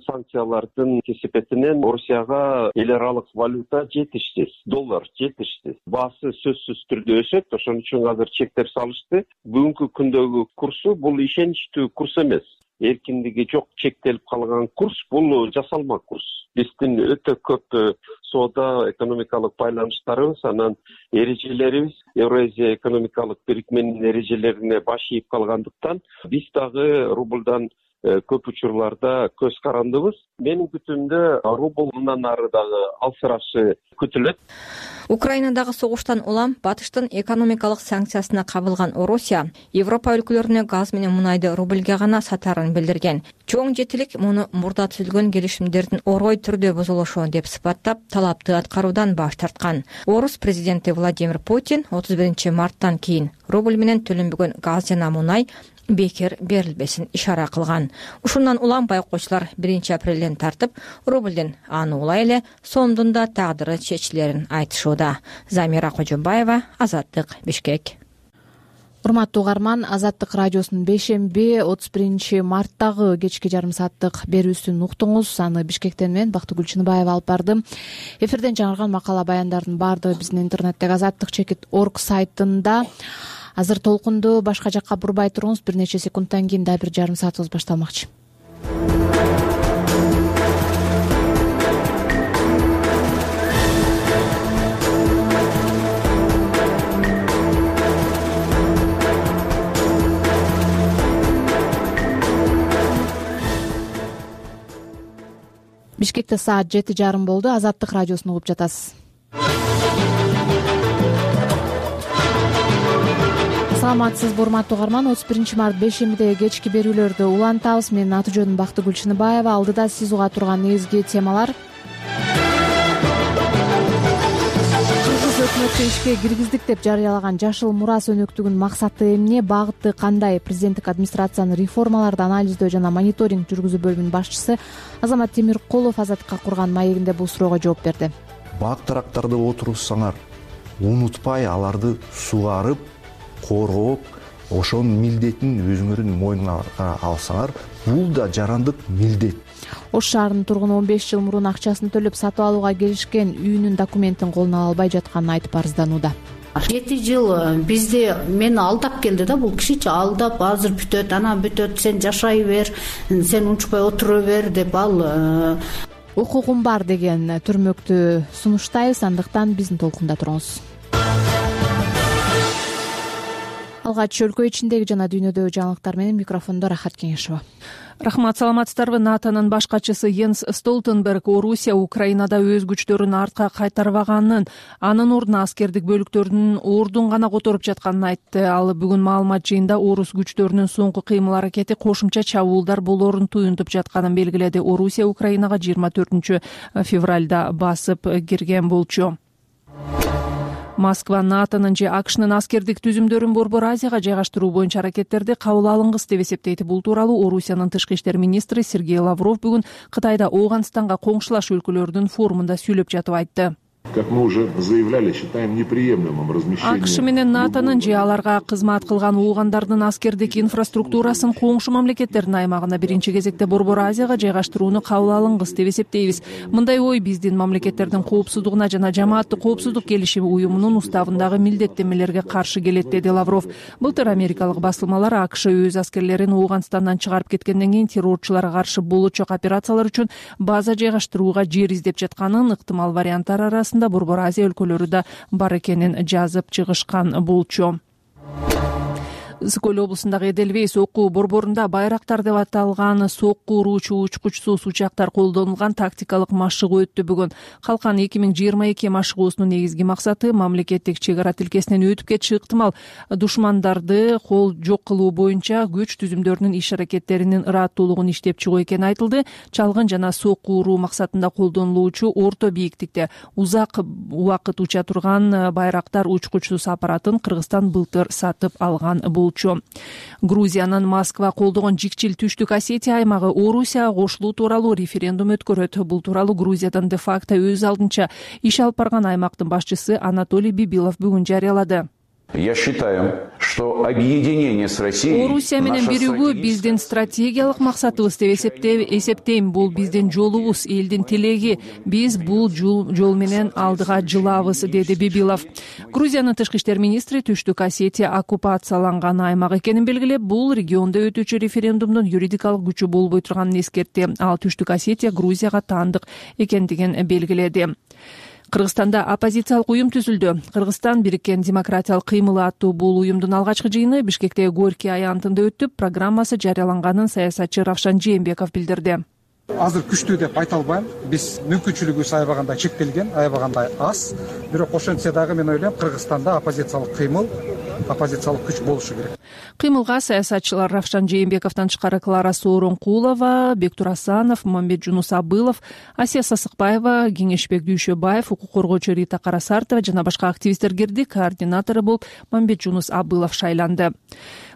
Санкциялардын кесепетинен Орусияга эл аралык валюта жетишсиз, доллар жетишсиз. Баасы сөзсүз түрдө өсөт, ошон үчүн азыр чектер салышты. Бүгүнкү күндөгү курсу бул ишеничтүү курс эмес. Эркиндиги жок, чектелип калган курс бул жасалма курс. Биздин өтө көп соода экономикалык байланыштарыбыз, анан эрежелерибиз Евразия экономикалык бирикменин эрежелерине баш ийип калгандыктан биз дагы рубльдан көп учурларда көз карандыбыз. Менин күтүмдө рубль мындан ары дагы алсырашы күтүлөт. Украинадагы согуштан улам батыштын экономикалык санкциясына кабылган Орусия Европа өлкөлөрүнө газ менен мунайды рубльге гана сатаарын билдирген. Чоң жетилик муну мурда түзүлгөн келишимдердин орой түрдө бузулушу деп сыпаттап, талапты аткаруудан баш тарткан. Орус президенти Владимир Путин отуз биринчи марттан кийин рубль менен төлөнбөгөн газ жана мунай бекер берилбесин ишара кылган. Ушундан улам байкоочулар биринчи апрелден тартып рубльдин аны улай эле сомдун да тагдыры чечилерин айтышууда. Замира Кожобаева, Азаттык, Бишкек. Урматтуу угарман, Азаттык радиосунун бейшемби отуз биринчи марттагы кечки жарым сааттык берүүсүн уктуңуз. Аны Бишкектен мен Бактыгүл Чыныбаева алып бардым. Эфирден жаңырган макала баяндардын баардыгы биздин интернеттеги азаттык чекит точка орг сайтында. Азыр толкунду башка жакка бурбай туруңуз, бир нече секундтан кийин да бир жарым саатыбыз башталмакчы. Бишкекте саат жети жарым болду. Азаттык радиосун угуп жатасыз. Саламатсызбы урматтуу угарман, отуз биринчи март бейшембидеги кечки берүүлөрдү улантабыз. Менин аты жөнүм Бактыгүл Чыныбаева. Алдыда сиз уга турган негизги темалар: Кыргыз өкмөтү ишке киргиздик деп жарыялаган жашыл мурас өнөктүгүнүн максаты эмне, багыты кандай? Президенттик администрациянын реформаларды анализдөө жана мониторинг жүргүзүү бөлүмүнүн башчысы Азамат Темиркулов Азаттыкка курган маегинде бул суроого жооп берди. Бак тарактарды отурсаңар, унутпай аларды сугарып, коргоп, ошонун милдетин өзүңөрдүн мойнуңарга алсаңар, бул да жарандык милдет. Ош шаарынын тургуну он беш жыл мурун акчасын төлөп сатып алууга келишкен үйүнүн документин колуна ала албай жатканын айтып арызданууда. жети жыл бизди мени алдап келди да, бул кишичи алдап, азыр бүтөт, анан бүтөт, сен жашай бер, сен унчукпай отура бер деп ал укугум бар деген түрмөктү сунуштайбыз, андыктан биздин толкунда туруңуз. Алгач өлкө ичиндеги жана дүйнөдөгү жаңылыктар менен микрофондо Рахат Кеңешова. Рахмат, саламатсыздарбы. НАТОнун баш катчысы Йенс Столтенберг Орусия Украинада өз күчтөрүн артка кайтарбаганын, анын ордуна аскердик бөлүктөрдүн ордун гана которуп жатканын айтты. Ал бүгүн маалымат жыйында орус күчтөрүнүн соңку кыймыл аракети кошумча чабуулдар болоорун туюнтуп жатканын белгиледи. Орусия Украинага жыйырма төртүнчү февралда басып кирген болчу. Москва НАТОнун же АКШнын аскердик түзүмдөрүн Борбор Азияга жайгаштыруу боюнча аракеттерди кабыл алынгыс деп эсептейт. Бул тууралуу Орусиянын тышкы иштер министри Сергей Лавров бүгүн Кытайда Ооганстанга коңшулаш өлкөлөрдүн форумунда сүйлөп жатып айтты. Как мы уже заявляли, считаем неприемлемым размещение. АКШ менен НАТОнун же аларга кызмат кылган оогандардын аскердик инфраструктурасын коңшу мамлекеттердин аймагына биринчи кезекте Борбор Азияга жайгаштырууну кабыл алынгыс деп эсептейбиз. Мындай ой биздин мамлекеттердин коопсуздугуна жана жамааттык коопсуздук келишими уюмунун уставындагы милдеттенмелерге каршы келет, деди Лавров. Былтыр америкалык басылмалар АКШ өз аскерлерин Ооганстандан чыгарып кеткенден кийин террорчуларга каршы болочок операциялар үчүн база жайгаштырууга жер издеп жатканын, ыктымал варианттар арасында Борбор Азия өлкөлөрү да бар экенин жазып чыгышкан болчу. Ысык-Көл облусундагы Эделвейс окуу борборунда байрактар деп аталган сокку уруучу учкучсуз учактар колдонулган тактикалык машыгуу өттү бүгүн. Калкан эки миң жыйырма эки машыгуусунун негизги максаты мамлекеттик чек ара тилкесинен өтүп кетиши ыктымал душмандарды кол жок кылуу боюнча күч түзүмдөрүнүн иш аракеттеринин ыраттуулугун иштеп чыгуу экени айтылды. Чалгын жана сокку уруу максатында колдонулуучу орто бийиктикте узак убакыт уча турган байрактар учкучсуз аппаратын Кыргызстан былтыр сатып алган болчу. Грузиянын Москва колдогон Жикчил Түштүк Осетия аймагы Орусияга кошулуу тууралуу референдум өткөрөт. Бул тууралуу Грузиядан де-факто өз алдынча иш алып барган аймактын башчысы Анатолий Бибилов бүгүн жарыялады. Я считаю, что объединение с Россией... Орусия менен биригүү биздин стратегиялык максатыбыз деп эсептейм. Бул биздин жолубуз, элдин тилеги. Биз бул жол менен алдыга жылабыз, деди Бибилов. Грузиянын тышкы иштер министри Түштүк Осетия оккупацияланган аймак экенин белгилеп, бул региондо өтүүчү референдумдун юридикалык күчү болбой турганын эскертти. Ал Түштүк Осетия Грузияга таандык экендигин белгиледи. Кыргызстанда оппозициялык уюм түзүлдү. Кыргызстан бириккен демократиялык кыймылы аттуу бул уюмдун алгачкы жыйыны Бишкектеги Горький аянтында өтүп, программасы жарыяланганын саясатчы Равшан Жээнбеков билдирди. Азыр күчтүү деп айта албайм. Биз мүмкүнчүлүгүбүз аябагандай чектелген, аябагандай аз. Бирок ошентсе дагы мен ойлойм, Кыргызстанда оппозициялык кыймыл, оппозициялык күч болушу керек. Кыймылга саясатчылар Равшан Жээнбековдон тышкары Клара Сооронкулова, Бектур Асанов, Мамбетжунус Абылов, Асия Сасыкбаева, Кеңешбек Дүйшөбаев, укук коргоочу Рита Карасартова жана башка активисттер кирди. Координатору болуп Мамбетжунус Абылов шайланды.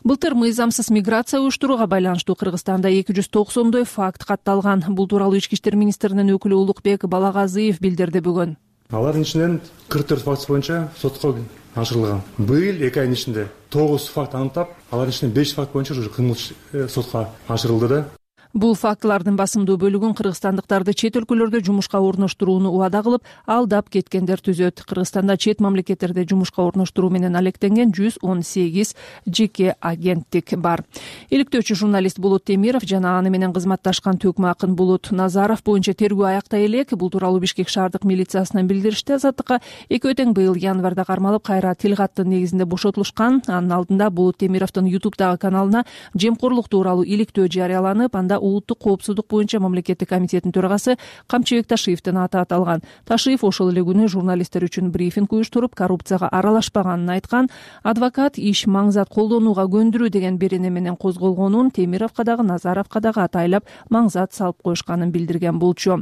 Былтыр мыйзамсыз миграция уюштурууга байланыштуу Кыргызстанда эки жүз токсондой факт катталган. Бул тууралуу Ички иштер министринин өкүлү Улукбек Балагазыев билдирди бүгүн. Алардын ичинен кырк төрт факт боюнча сотко ашырылган. Быйыл эки айдын ичинде тогуз факт аныктап, алардын ичинен беш факт боюнча уже кылмыш сотко ашырылды да. Бул фактылардын басымдуу бөлүгүн кыргызстандыктарды чет өлкөлөрдө жумушка орноштурууну убада кылып, алдап кеткендер түзөт. Кыргызстанда чет мамлекеттерде жумушка орноштуруу менен алектенген жүз он сегиз жеке агенттик бар. Иликтөөчү журналист Болот Темиров жана аны менен кызматташкан төкмө акын Болот Назаров боюнча тергөө аяктай элек. Бул тууралуу Бишкек шаардык милициясынан билдиришти. Азаттыкка экөө тең быйыл январда кармалып, кайра тил каттын негизинде бошотулушкан. Анын алдында Болот Темировдун ютубтагы каналына жемкорлук тууралуу иликтөө жарыяланып, анда улуттук коопсуздук боюнча мамлекеттик комитеттин төрагасы Камчыбек Ташиевдин аты аталган. Ташиев ошол эле күнү журналисттер үчүн брифинг уюштуруп, коррупцияга аралашпаганын айткан. Адвокат иш маңзат колдонууга көндүрүү деген берене менен козголгонун, Темировго дагы Назаровго дагы атайлап маңзат салып коюшканын билдирген болчу.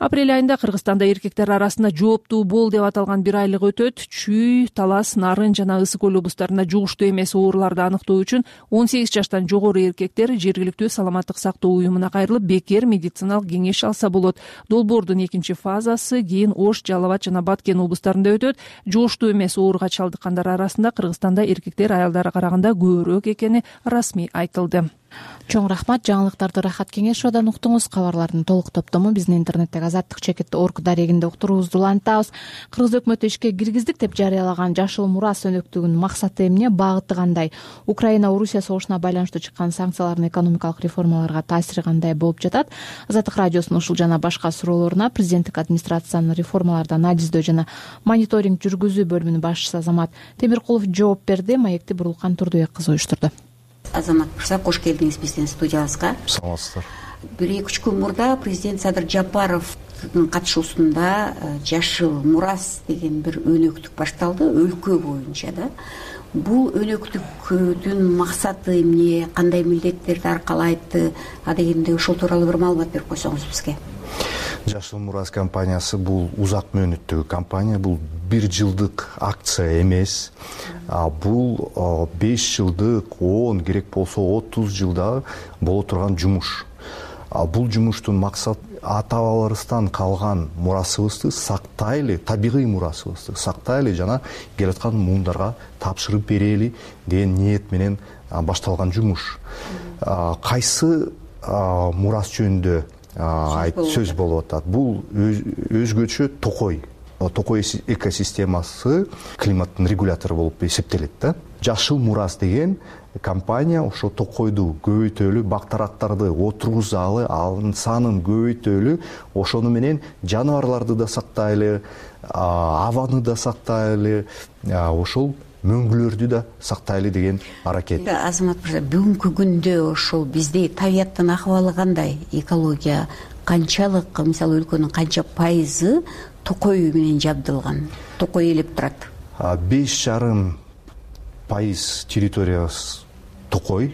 Апрель айында Кыргызстанда эркектер арасында жооптуу бол деп аталган бир айлык өтөт. Чүй, Талас, Нарын жана Ысык көл облустарында жугуштуу эмес ооруларды аныктоо үчүн он сегиз жаштан жогору эркектер жергиликтүү саламаттык сактоо уюмуна кайрылып, бекер медициналык кеңеш алса болот. Долбоордун экинчи фазасы кийин Ош, Жалал Абад жана Баткен облустарында өтөт. Жугуштуу эмес ооруга чалдыккандар арасында Кыргызстанда эркектер аялдарга караганда көбүрөөк экени расмий айтылды. Чоң рахмат. Жаңылыктарды Рахат Кеңешовдон уктуңуз. Кабарлардын толук топтому биздин интернеттеги азаттык чекит точка орг дарегинде уктуруубузду улантабыз. Кыргыз өкмөтү ишке киргиздик деп жарыялаган Жашыл Мурас өнөктүгүнүн максаты эмне, багыты кандай? Украина-Орусия согушуна байланыштуу чыккан санкциялардын экономикалык реформаларга таасири кандай болуп жатат? Азаттык радиосунун ушул жана башка суроолоруна президенттик администрациянын реформаларды анализдөө жана мониторинг жүргүзүү бөлүмүнүн башчысы Азамат Темиркулов жооп берди. Маекти Бурулкан Турдубек кызы уюштурду. Азамат Мырза, кош келдиңиз биздин студиябызга. Саламатсыздар. Бир эки үч күн мурда президент Садыр Жапаровдун катышуусунда Жашыл Мурас деген бир өнөктүк башталды, өлкө боюнча да. Бул өнөктүктүн максаты эмне, кандай милдеттерди аркалайт, а дегенде ошол тууралуу бир маалымат берип койсоңуз бизге. Жашыл Мурас компаниясы бул узак мөөнөттөгү компания, бул бир жылдык акция эмес. Бул беш жылдык, он керек болсо отуз жылда боло турган жумуш. Бул жумуштун максаты ата бабаларыбыздан калган мурасыбызды сактайлы, табигый мурасыбызды сактайлы жана келаткан муундарга тапшырып берели деген ниет менен башталган жумуш. Кайсы мурас жөнүндө сөз болуп атат? Бул өзгөчө токой. Токой экосистемасы климаттын регулятору болуп эсептелет да. Жашыл Мурас деген компания ошо токойду көбөйтөлү, бактарактарды отургузалы, анын санын көбөйтөлү, ошону менен жаныбарларды да сактайлы, абаны да сактайлы, ошол мөңгүлөрдү да сактайлы деген аракет. Азамат мырза, бүгүнкү күндө ошол бизде табияттын акыбалы кандай? Экология канчалык, мисалы өлкөнүн канча пайызы токой менен жабдылган, токой ээлеп турат? Беш жарым пайыз территориябыз токой.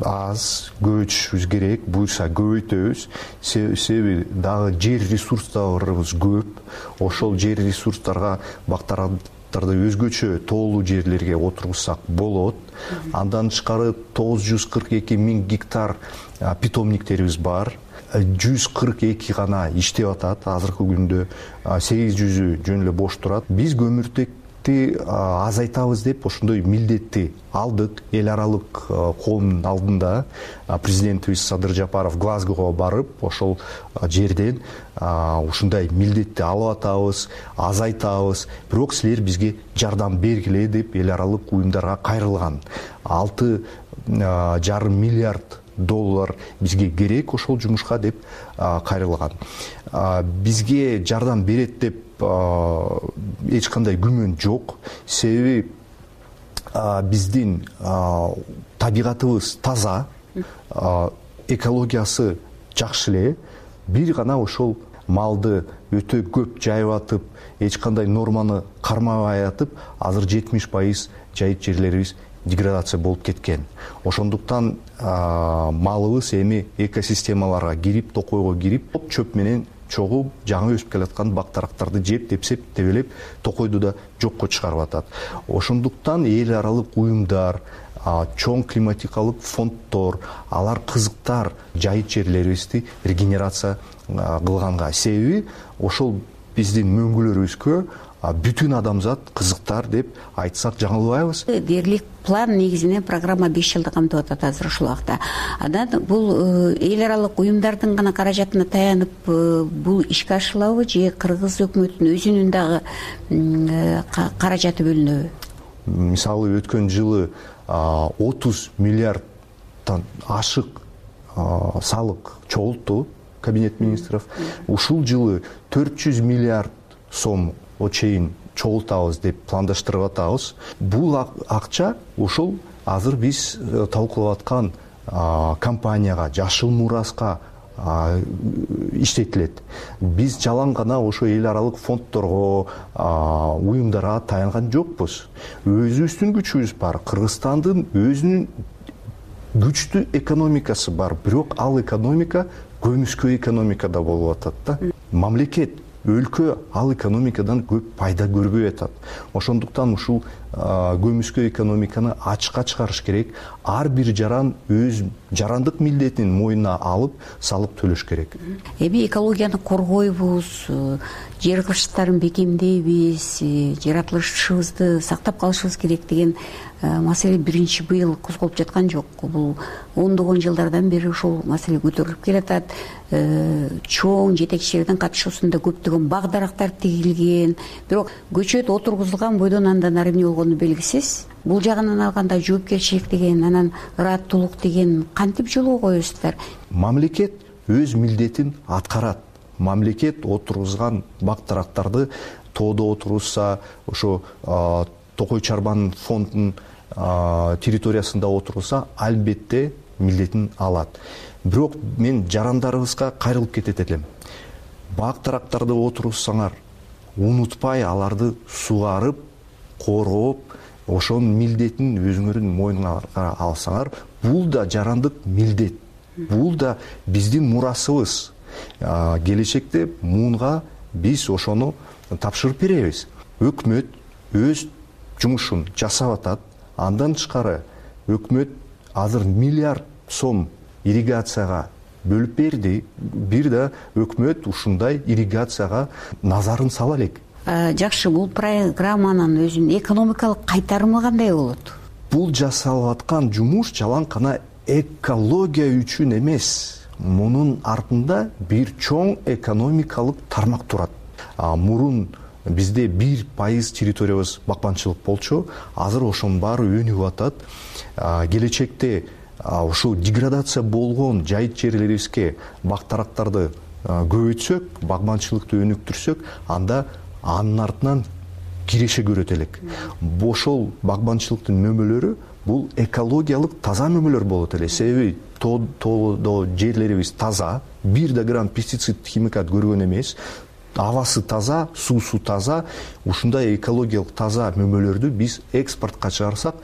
Аз көбөйтүшүбүз керек, буюрса көбөйтөбүз. Себеби дагы жер ресурстарыбыз көп. Ошол жер ресурстарга бактарактарды өзгөчө тоолуу жерлерге отургузсак болот. Андан тышкары тогуз жүз кырк эки миң гектар питомниктерибиз бар. жүз кырк эки гана иштеп атат. Азыркы күндө сегиз жүзү жөн эле бош турат. Биз көмүртекти азайтабыз деп ошондой милдетти алдык. Эл аралык коомдун алдында президентибиз Садыр Жапаров Глазгого барып, ошол жерден ушундай милдетти алып атабыз, азайтабыз. Бирок силер бизге жардам бергиле деп эл аралык уюмдарга кайрылган. алты жарым миллиард доллар бизге керек ошол жумушка деп кайрылган. Бизге жардам берет деп эч кандай күмөн жок. Себеби биздин табигатыбыз таза, экологиясы жакшы эле. Бир гана ошол малды өтө көп жайып атып, эч кандай норманы кармабай атып, азыр жетимиш пайыз жайыт жерлерибиз деградация болуп кеткен. Ошондуктан малыбыз эми экосистемаларга кирип, токойго кирип, чөп менен чогуп, жаңы өсүп келаткан бак дарактарды жеп, тепсеп, тебелеп, токойду да жокко чыгарып атат. Ошондуктан эл аралык уюмдар, чоң климатикалык фонддор, алар кызыктар жайыт жерлерибизди регенерация кылганга. Себеби ошол биздин мөңгүлөрүбүзгө бүтүн адамзат кызыктар деп айтсак жаңылбайбыз. Дээрлик план негизинен программа беш жылды камтып атат азыр ушул убакта. Анан бул эл аралык уюмдардын гана каражатына таянып бул ишке ашырылабы же кыргыз өкмөтүнүн өзүнүн дагы каражаты бөлүнөбү? Мисалы өткөн жылы отуз миллиардтан ашык салык чогултту кабинет министров. Ушул жылы төрт жүз миллиард сом чейин чогултабыз деп пландаштырып атабыз. Бул акча ошол азыр биз талкуулап аткан компанияга, жашыл мураска иштетилет. Биз жалаң гана ошо эл аралык фонддорго, уюмдарга таянган жокпуз. Өзүбүздүн күчүбүз бар. Кыргызстандын өзүнүн күчтүү экономикасы бар, бирок ал экономика көмүскө экономикада болуп атат да. Мамлекет, өлкө ал экономикадан көп пайда көрбөй атат. Ошондуктан ушул көмүскө экономиканы ачыкка чыгарыш керек. Ар бир жаран өз жарандык милдетин мойнуна алып, салык төлөш керек. Эми экологияны коргойбуз, жер кыртыштарын бекемдейбиз, жаратылышыбызды сактап калышыбыз керек деген маселе биринчи быйыл козголуп жаткан жок. Бул ондогон жылдардан бери ушул маселе көтөрүлүп келатат. Чоң жетекчилердин катышуусунда көптөгөн бак дарактар тигилген, бирок көчөт отургузулган бойдон андан ары эмне болгону белгисиз. Бул жагынан алганда жоопкерчилик деген, анан ыраттуулук деген кантип жолго коесуздар? Мамлекет өз милдетин аткарат. Мамлекет отургузган бак дарактарды тоодо отургузса, ошо Токой Чарбан фондунун территориясында отургузса, албетте милдетин алат. Бирок мен жарандарыбызга кайрылып кетет элем. Бак дарактарды отургузсаңар, унутпай аларды сугарып, коргоп, ошонун милдетин өзүңөрдүн мойнуңарга алсаңар, бул да жарандык милдет. Бул да биздин мурасыбыз. Келечекте муунга биз ошону тапшырып беребиз. Өкмөт өз жумушун жасап атат. Андан тышкары өкмөт азыр миллиард сом ирригацияга бөлүп берди. Бир да өкмөт ушундай ирригацияга назарын сала элек. Жакшы, бул программанын өзүнүн экономикалык кайтарымы кандай болот? Бул жасалып аткан жумуш жалаң гана экология үчүн эмес. Мунун артында бир чоң экономикалык тармак турат. Мурун бизде бир пайыз территориябыз бакманчылык болчу, азыр ошонун баары өнүгүп атат. Келечекте ушул деградация болгон жайыт жерлерибизге бак дарактарды көбөйтсөк, багманчылыкты өнүктүрсөк, анда анын артынан киреше көрөт элек. Ошол багманчылыктын мөмөлөрү бул экологиялык таза мөмөлөр болот эле. Себеби тоодо жерлерибиз таза, бир да грамм пестицид, химикат көргөн эмес. Авасы таза, суусу таза. Ушундай экологиялык таза мөмөлөрдү биз экспортко чыгарсак,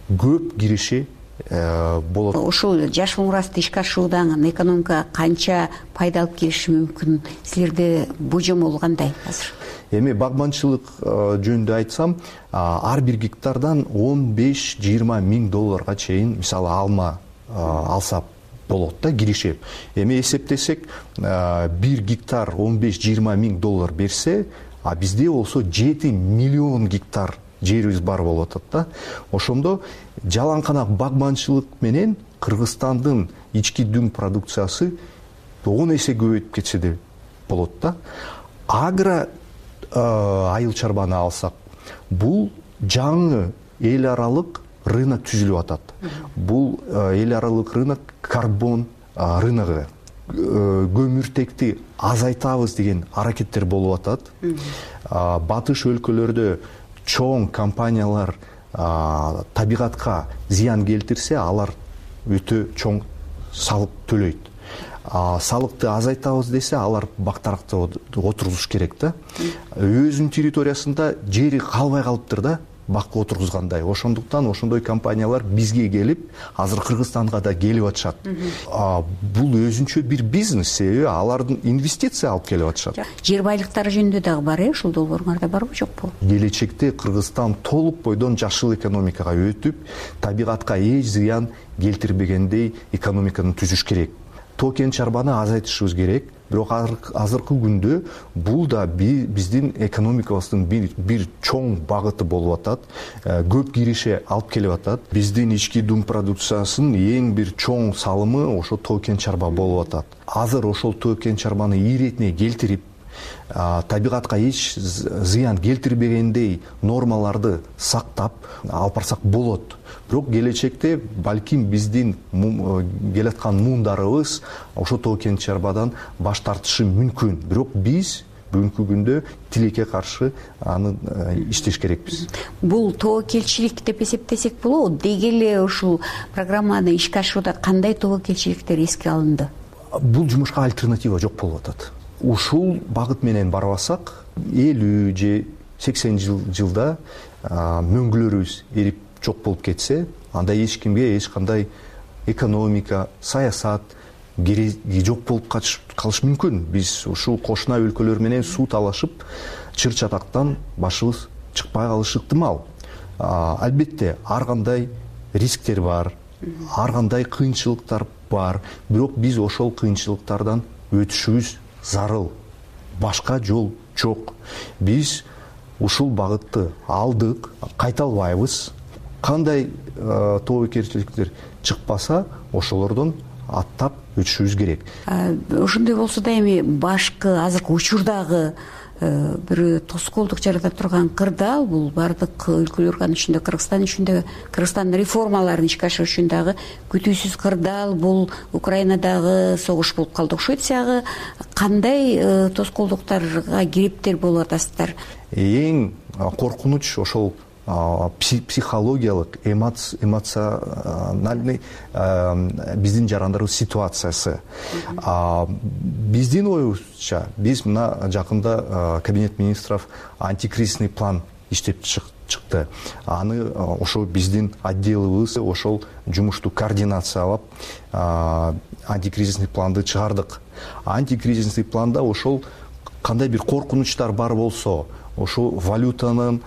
көп киреше болот. Ушул жашыл мурасты ишке ашыруудан экономикага канча пайда алып келиши мүмкүн? Силерде божомол кандай азыр? Эми багманчылык жөнүндө айтсам, ар бир гектардан он беш жыйырма миң долларга чейин мисалы алма алса болот да, киреше. Эми эсептесек, бир гектар он беш жыйырма миң доллар берсе, а бизде болсо жети миллион гектар жерибиз бар болуп атат да. Ошондо жалаң гана багманчылык менен Кыргызстандын ички дүң продукциясы он эсе көбөйүп кетсе де болот да. Агро айыл чарбаны алсак, бул жаңы эл аралык рынок түзүлүп атат. Бул эл аралык рынок карбон рыногу, көмүртекти азайтабыз деген аракеттер болуп атат. Батыш өлкөлөрдө чоң компаниялар табигатка зыян келтирсе, алар өтө чоң салык төлөйт. Салыкты азайтабыз десе, алар бактаракта отургузуш керек да. Өзүнүн территориясында жери калбай калыптыр да, бак отургузгандай. Ошондуктан ошондой компаниялар бизге келип, азыр Кыргызстанга да келип атышат. Бул өзүнчө бир бизнес, себеби алардын инвестиция алып келип атышат. Жер байлыктары жөнүндө дагы бар, э, ушул долбооруңарда барбы, жокпу? Келечекте Кыргызстан толук бойдон жашыл экономикага өтүп, табигатка эч зыян келтирбегендей экономиканы түзүш керек. Тоо кен чарбаны азайтышыбыз керек. Бирок азыркы күндө бул да биздин экономикабыздын бир, бир чоң багыты болуп атат. Көп киреше алып келип атат. Биздин ички дум продукциясынын эң бир чоң салымы ошо тоо кен чарба болуп атат. Азыр ошол тоо кен чарбаны иретине келтирип, табигатка эч зыян келтирбегендей нормаларды сактап алып барсак болот. Бирок келечекте балким биздин келаткан муундарыбыз ошо тоо кен чарбадан баш тартышы мүмкүн. Бирок биз бүгүнкү күндө тилекке каршы аны иштеш керекпиз. Бул тобокелчилик деп эсептесек болобу? Деги эле ушул программаны ишке ашырууда кандай тобокелчиликтер эске алынды? Бул жумушка альтернатива жок болуп атат. Ушул багыт менен барбасак, элүү же сексен жылда мөңгүлөрүбүз эрип жок болуп кетсе, анда эч кимге эч кандай экономика, саясат кереги жок болуп калышы мүмкүн. Биз ушул кошуна өлкөлөр менен суу талашып, чыр чатактан башыбыз чыкпай калышы ыктымал. Албетте, ар кандай рисктер бар, ар кандай кыйынчылыктар бар, бирок биз ошол кыйынчылыктардан өтүшүбүз зарыл. Башка жол жок. Биз ушул багытты алдык, кайта албайбыз. Кандай тобокелчиликтер чыкпаса, ошолордон аттап өтүшүбүз керек. Ошондой болсо да эми башкы азыркы учурдагы бир тоскоолдук жарата турган кырдаал бул баардык өлкөлөргө, анын ичинде Кыргызстан ичинде Кыргызстандын реформаларын ишке ашыруу үчүн дагы күтүүсүз кырдаал бул Украинадагы согуш болуп калды. Швецияга кандай тоскоолдуктарга кириптер болуп атасыздар? Эң коркунуч ошол психологиялык, эмоциональный биздин жарандарыбыз ситуациясы. Биздин оюбузча, биз мына жакында Кабинет министров антикризисный план иштеп чыкты. Аны ошол биздин отделыбыз ошол жумушту координациялап антикризисный планды чыгардык. Антикризисный планда ошол кандай бир коркунучтар бар болсо, ошо валютанын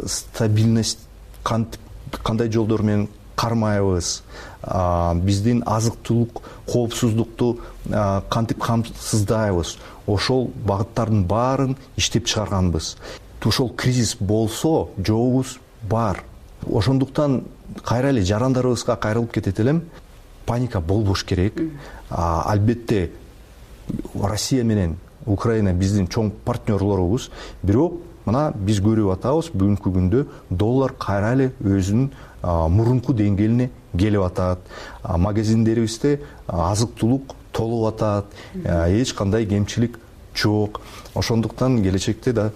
стабильность кандай жолдор менен кармайбыз, биздин азык-түлүк коопсуздукту кантип камсыздайбыз, ошол багыттардын баарын иштеп чыгарганбыз. Ошол кризис болсо, жообубуз бар. Ошондуктан кайра эле жарандарыбызга кайрылып кетет элем, паника болбош керек. Албетте Россия менен Украина биздин чоң партнерлорубуз, бирок мына биз көрүп атабыз, бүгүнкү күндө доллар кайра эле өзүнүн мурунку деңгээлине келип атат. Магазиндерибизде азык-түлүк толуп атат, эч кандай кемчилик жок. Ошондуктан келечекте да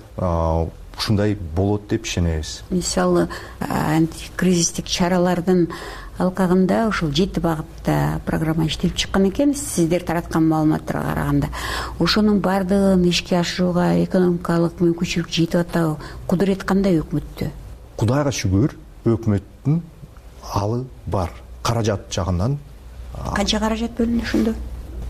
ушундай болот деп ишенебиз. Мисалы, антикризистик чаралардын алкагында ушул жети багытта программа иштелип чыккан экен. Сиздер тараткан маалыматтарга караганда, ошонун баардыгын ишке ашырууга экономикалык мүмкүнчүлүк жетип атабы? Кудурет кандай өкмөттө? Кудайга шүгүр, өкмөттүн алы бар. Каражат жагынан. Канча каражат бөлүндү ошондо?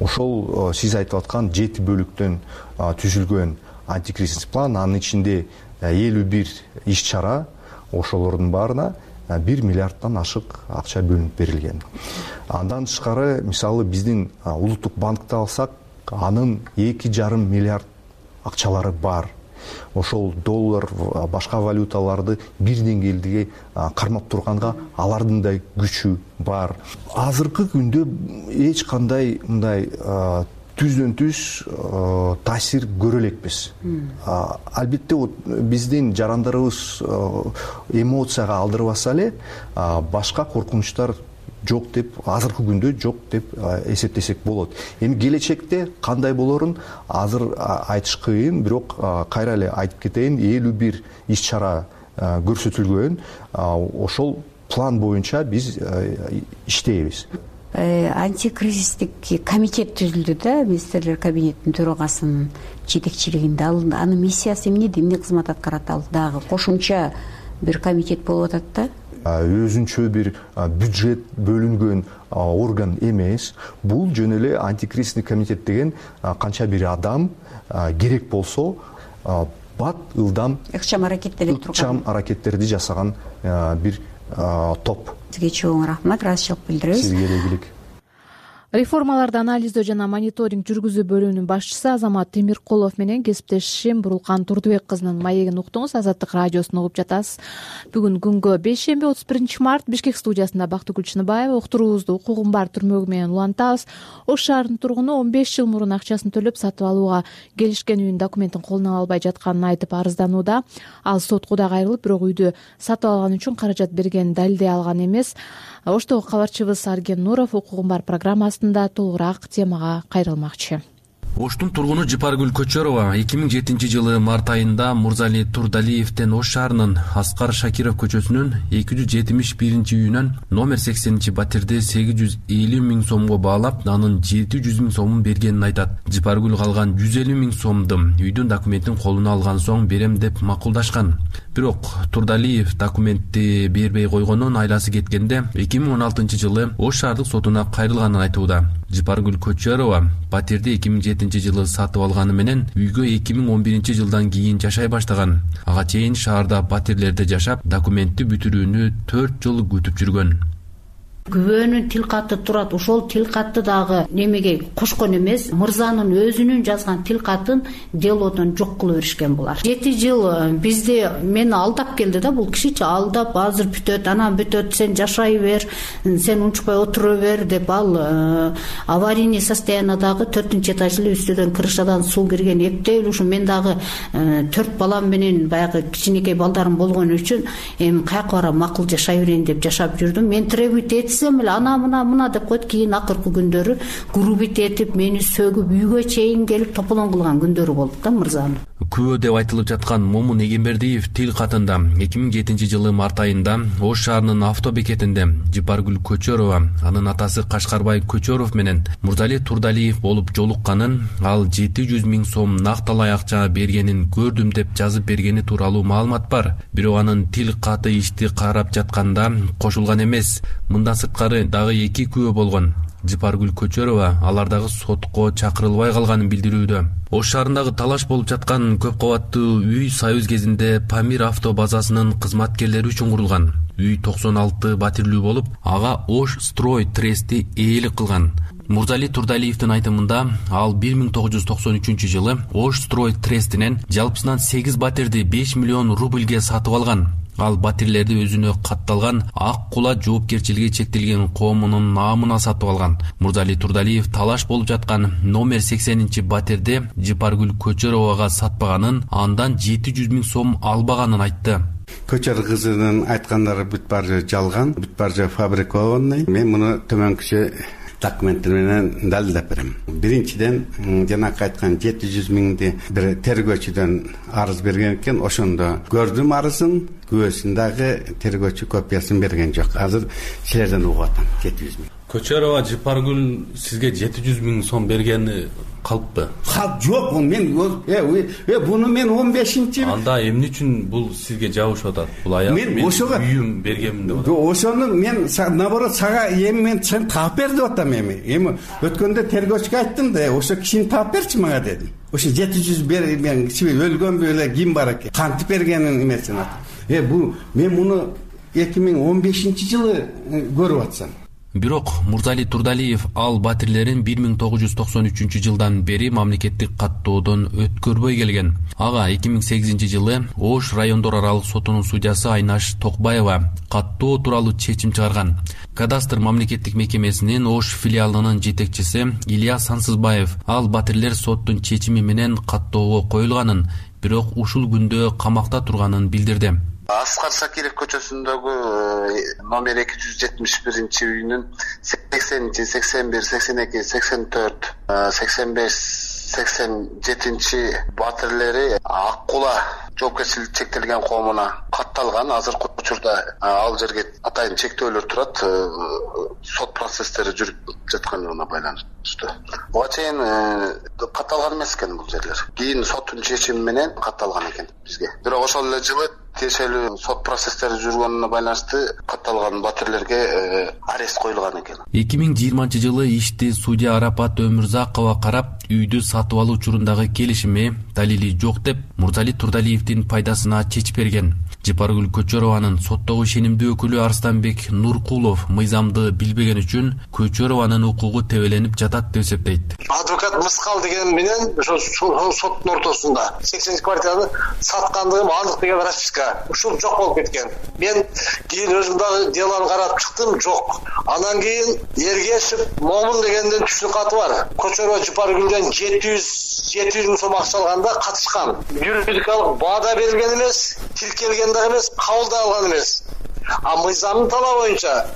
Ошол сиз айтып аткан жети бөлүктөн түзүлгөн антикризисный план, анын ичинде элүү бир иш чара, ошолордун баарына бир миллиарддан ашык акча бөлүнүп берилген. Андан тышкары, мисалы, биздин улуттук банкты алсак, анын эки жарым миллиард акчалары бар. Ошол доллар, башка валюталарды бир деңгээлде кармап турганга алардын да күчү бар. Азыркы күндө эч кандай мындай түздөн түз таасир көрө элекпиз. Албетте биздин жарандарыбыз эмоцияга алдырбаса эле башка коркунучтар жок деп, азыркы күндө жок деп эсептесек болот. Эми келечекте кандай болорун азыр айтыш кыйын, бирок кайра эле айтып кетейин, элүү бир иш чара көрсөтүлгөн. Ошол план боюнча биз иштейбиз. Антикризистик комитет түзүлдү да, министрлер кабинетинин төрагасынын жетекчилигинде. Анын миссиясы эмне, эмне кызмат аткарат? Ал дагы кошумча бир комитет болуп атат да. Өзүнчө бир бюджет бөлүнгөн орган эмес. Бул жөн эле антикризистик комитет деген канча бир адам керек болсо бат ылдам ыкчам аракеттелип турган, ыкчам аракеттерди жасаган бир топ. Сизге чоң рахмат, ыраазычылык билдиребиз. Сизге элегилик. Реформаларды анализдөө жана мониторинг жүргүзүү бөлүмүнүн башчысы Азамат Темиркулов менен кесиптешим Бурулкан Турдубек кызынын маегин уктуңуз. Азаттык радиосун угуп жатасыз. Бүгүн күнгө бейшемби отуз биринчи март Бишкек студиясында Бактыгүл Чыныбаева. Уктуруубузду укугун бар түрмөгү менен улантабыз. Ош шаарынын тургуну он беш жыл мурун акчасын төлөп сатып алууга келишкен үйүнүн документин колуна албай жатканын айтып арызданууда. Ал сотко да кайрылып, бирок үйдү сатып алган үчүн каражат бергенин далилдей алган эмес. Оштогу кабарчыбыз Арген Нуров укугун бар программасында толугураак темага кайрылмакчы. Оштун тургуну Жыпаргүл Көчөрова эки миң жетинчи жылы март айында Мурзали Турдалиевден Ош шаарынын Аскар Шакиров көчөсүнүн эки жүз жетимиш биринчи үйүнөн номер сексенинчи батирди сегиз жүз элүү миң сомго баалап, анын жети жүз миң сомун бергенин айтат. Жыпаргүл калган жүз элүү миң сомду үйдүн документин колуна алган соң берем деп макулдашкан. Бирок Турдалиев документти бербей койгонун айласы кеткенде эки миң он алтынчы жылы Ош шаардык сотуна кайрылганын айтууда. Жыпаргүл Көчөрова батирди эки миң жетинчи жылы сатып алганы менен үйгө эки миң он биринчи жылдан кийин жашай баштаган. Ага чейин шаарда батирлерде жашап, документти бүтүрүүнү төрт жыл күтүп жүргөн. Күбөнүн тил каты турат. Ошол тил катты дагы немеге кошкон эмес, мырзанын өзүнүн жазган тил катын делодон жок кылып беришкен булар. жети жыл бизди мени алдап келди да, бул кишичи алдап, азыр бүтөт, анан бүтөт, сен жашай бер, сен унчукпай отура бер деп, ал аварийный состояниядагы төртүнчү этаж эле үстүдөн крышадан суу кирген, эптеп ушу мен дагы төрт балам менен баягы кичинекей балдарым болгон үчүн эми каяка барам, макул жашай берейин деп жашап жүрдүм. Мен требуйт этсем эле ана мына мына деп койт. Кийин акыркы күндөрү грубит этип, мени сөгүп, үйгө чейин келип тополоң кылган күндөрү болду да мырзанын. Күбө деп айтылып жаткан Момун Эгембердиев тил катында эки миң жетинчи жылы март айында Ош шаарынын автобекетинде Жыпаргүл Көчөрова, анын атасы Кашкарбай Көчөров менен Мурзали Турдалиев болуп жолукканын, ал жети жүз миң сом накталай акча бергенин көрдүм деп жазып бергени тууралуу маалымат бар. Бирок анын тил каты ишти карап жатканда кошулган эмес. Мындан сырткары дагы эки күбө болгон. Жыпаргүл Көчөрова алардагы сотко чакырылбай калганын билдирүүдө. Ош шаарындагы талаш болуп жаткан көп кабаттуу үй Союз кезинде Памир авто базасынын кызматкерлери үчүн курулган. Үй токсон алты батирлүү болуп, ага Ош Строй Трести ээлик кылган. Мурзали Турдалиевдин айтымында, ал бир миң тогуз жүз токсон үчүнчү жылы Ош Строй Трестинен жалпысынан сегиз батирди беш миллион рубльге сатып алган. Ал батирлерди өзүнө катталган Ак Кула жоопкерчилиги чектелген коомунун наамына сатып алган. Мурзали Турдалиев талаш болуп жаткан номер сексенинчи батирди Жыпаргүл Көчөровага сатпаганын, андан жети жүз миң сом албаганын айтты. Көчөр кызынын айткандары бүт баары жалган, бүт баары фабрикованный. Мен муну төмөнкүчө документтер менен далилдеп берем. Биринчиден, жанакы айткан жети жүз миңди бир тергөөчүдөн арыз берген экен, ошондо көрдүм арызын, күбөсүн дагы тергөөчү копиясын берген жок. Азыр силерден угуп атам жети жүз миң. Көчөрова Жыпаргүл сизге жети жүз миң сом бергени калппы? Калп жок, мен э буну мен он бешинчи анда эмне үчүн бул сизге жабышып атат? Бул аяк мен үйүм бергенмин деп атат. Ошону мен наоборот сага эми мен сен таап бер деп атам эми. Эми өткөндө тергөөчүгө айттым да, ошо кишини таап берчи мага дедим. Ошо жети жүз бер мен өлгөнбү эле ким бар экен? Кантип бергенин эмесин атам. Э бул мен муну эки миң он бешинчи жылы көрүп атсам. Бирок Мурзали Турдалиев ал батирлерин бир миң тогуз жүз токсон үчүнчү жылдан бери мамлекеттик каттоодон өткөрбөй келген. Ага эки миң сегизинчи жылы Ош райондор аралык сотунун судьясы Айнаш Токбаева каттоо тууралуу чечим чыгарган. Кадастр мамлекеттик мекемесинин Ош филиалынын жетекчиси Илья Сансызбаев ал батирлер соттун чечими менен каттоого коюлганын, бирок ушул күндө камакта турганын билдирди. Аскар Сакиров көчөсүндөгү номер эки жүз жетимиш биринчи үйүнүн сексенинчи, сексен бир, сексен эки, сексен төрт, сексен беш, сексен жетинчи батирлери ак кула жоопкерчилиги чектелген коомуна катталган. Азыркы учурда ал жерге атайын чектөөлөр турат, сот процесстери жүрүп жатканына байланыштуу. Буга чейин катталган эмес экен бул жерлер. Кийин соттун чечими менен катталган экен бизге. Бирок ошол эле жылы тиешелүү сот процесстери жүргөнүнө байланыштуу катталган батирлерге арест коюлган экен. эки миң жыйырманчы жылы ишти судья Арапат Өмүрзакова карап, үйдү сатып алуу учурундагы келишими далили жок деп Мурзали Турдалиевдин пайдасына чечип берген. Жапаргүл Көчөрованын соттогу ишенимдүү өкүлү Арстанбек Нуркулов мыйзамды билбеген үчүн Көчөрованын укугу тебеленип жатат деп эсептейт. Адвокат мыскал деген менен ошо соттун ортосунда сексенинчи квартираны саткандыгым андык деген расписка ушул жок болуп кеткен. Мен кийин өзүм дагы делону карап чыктым, жок. Анан кийин Ергешев Момун дегенден түшүн каты бар. Көчөрө Жапаргүлдөн жети жүз миң сом акча алганда катышкан. Юридикалык баада берилген эмес, тилкелген дагы эмес, кабыл да алган эмес. А мыйзамдын талабы боюнча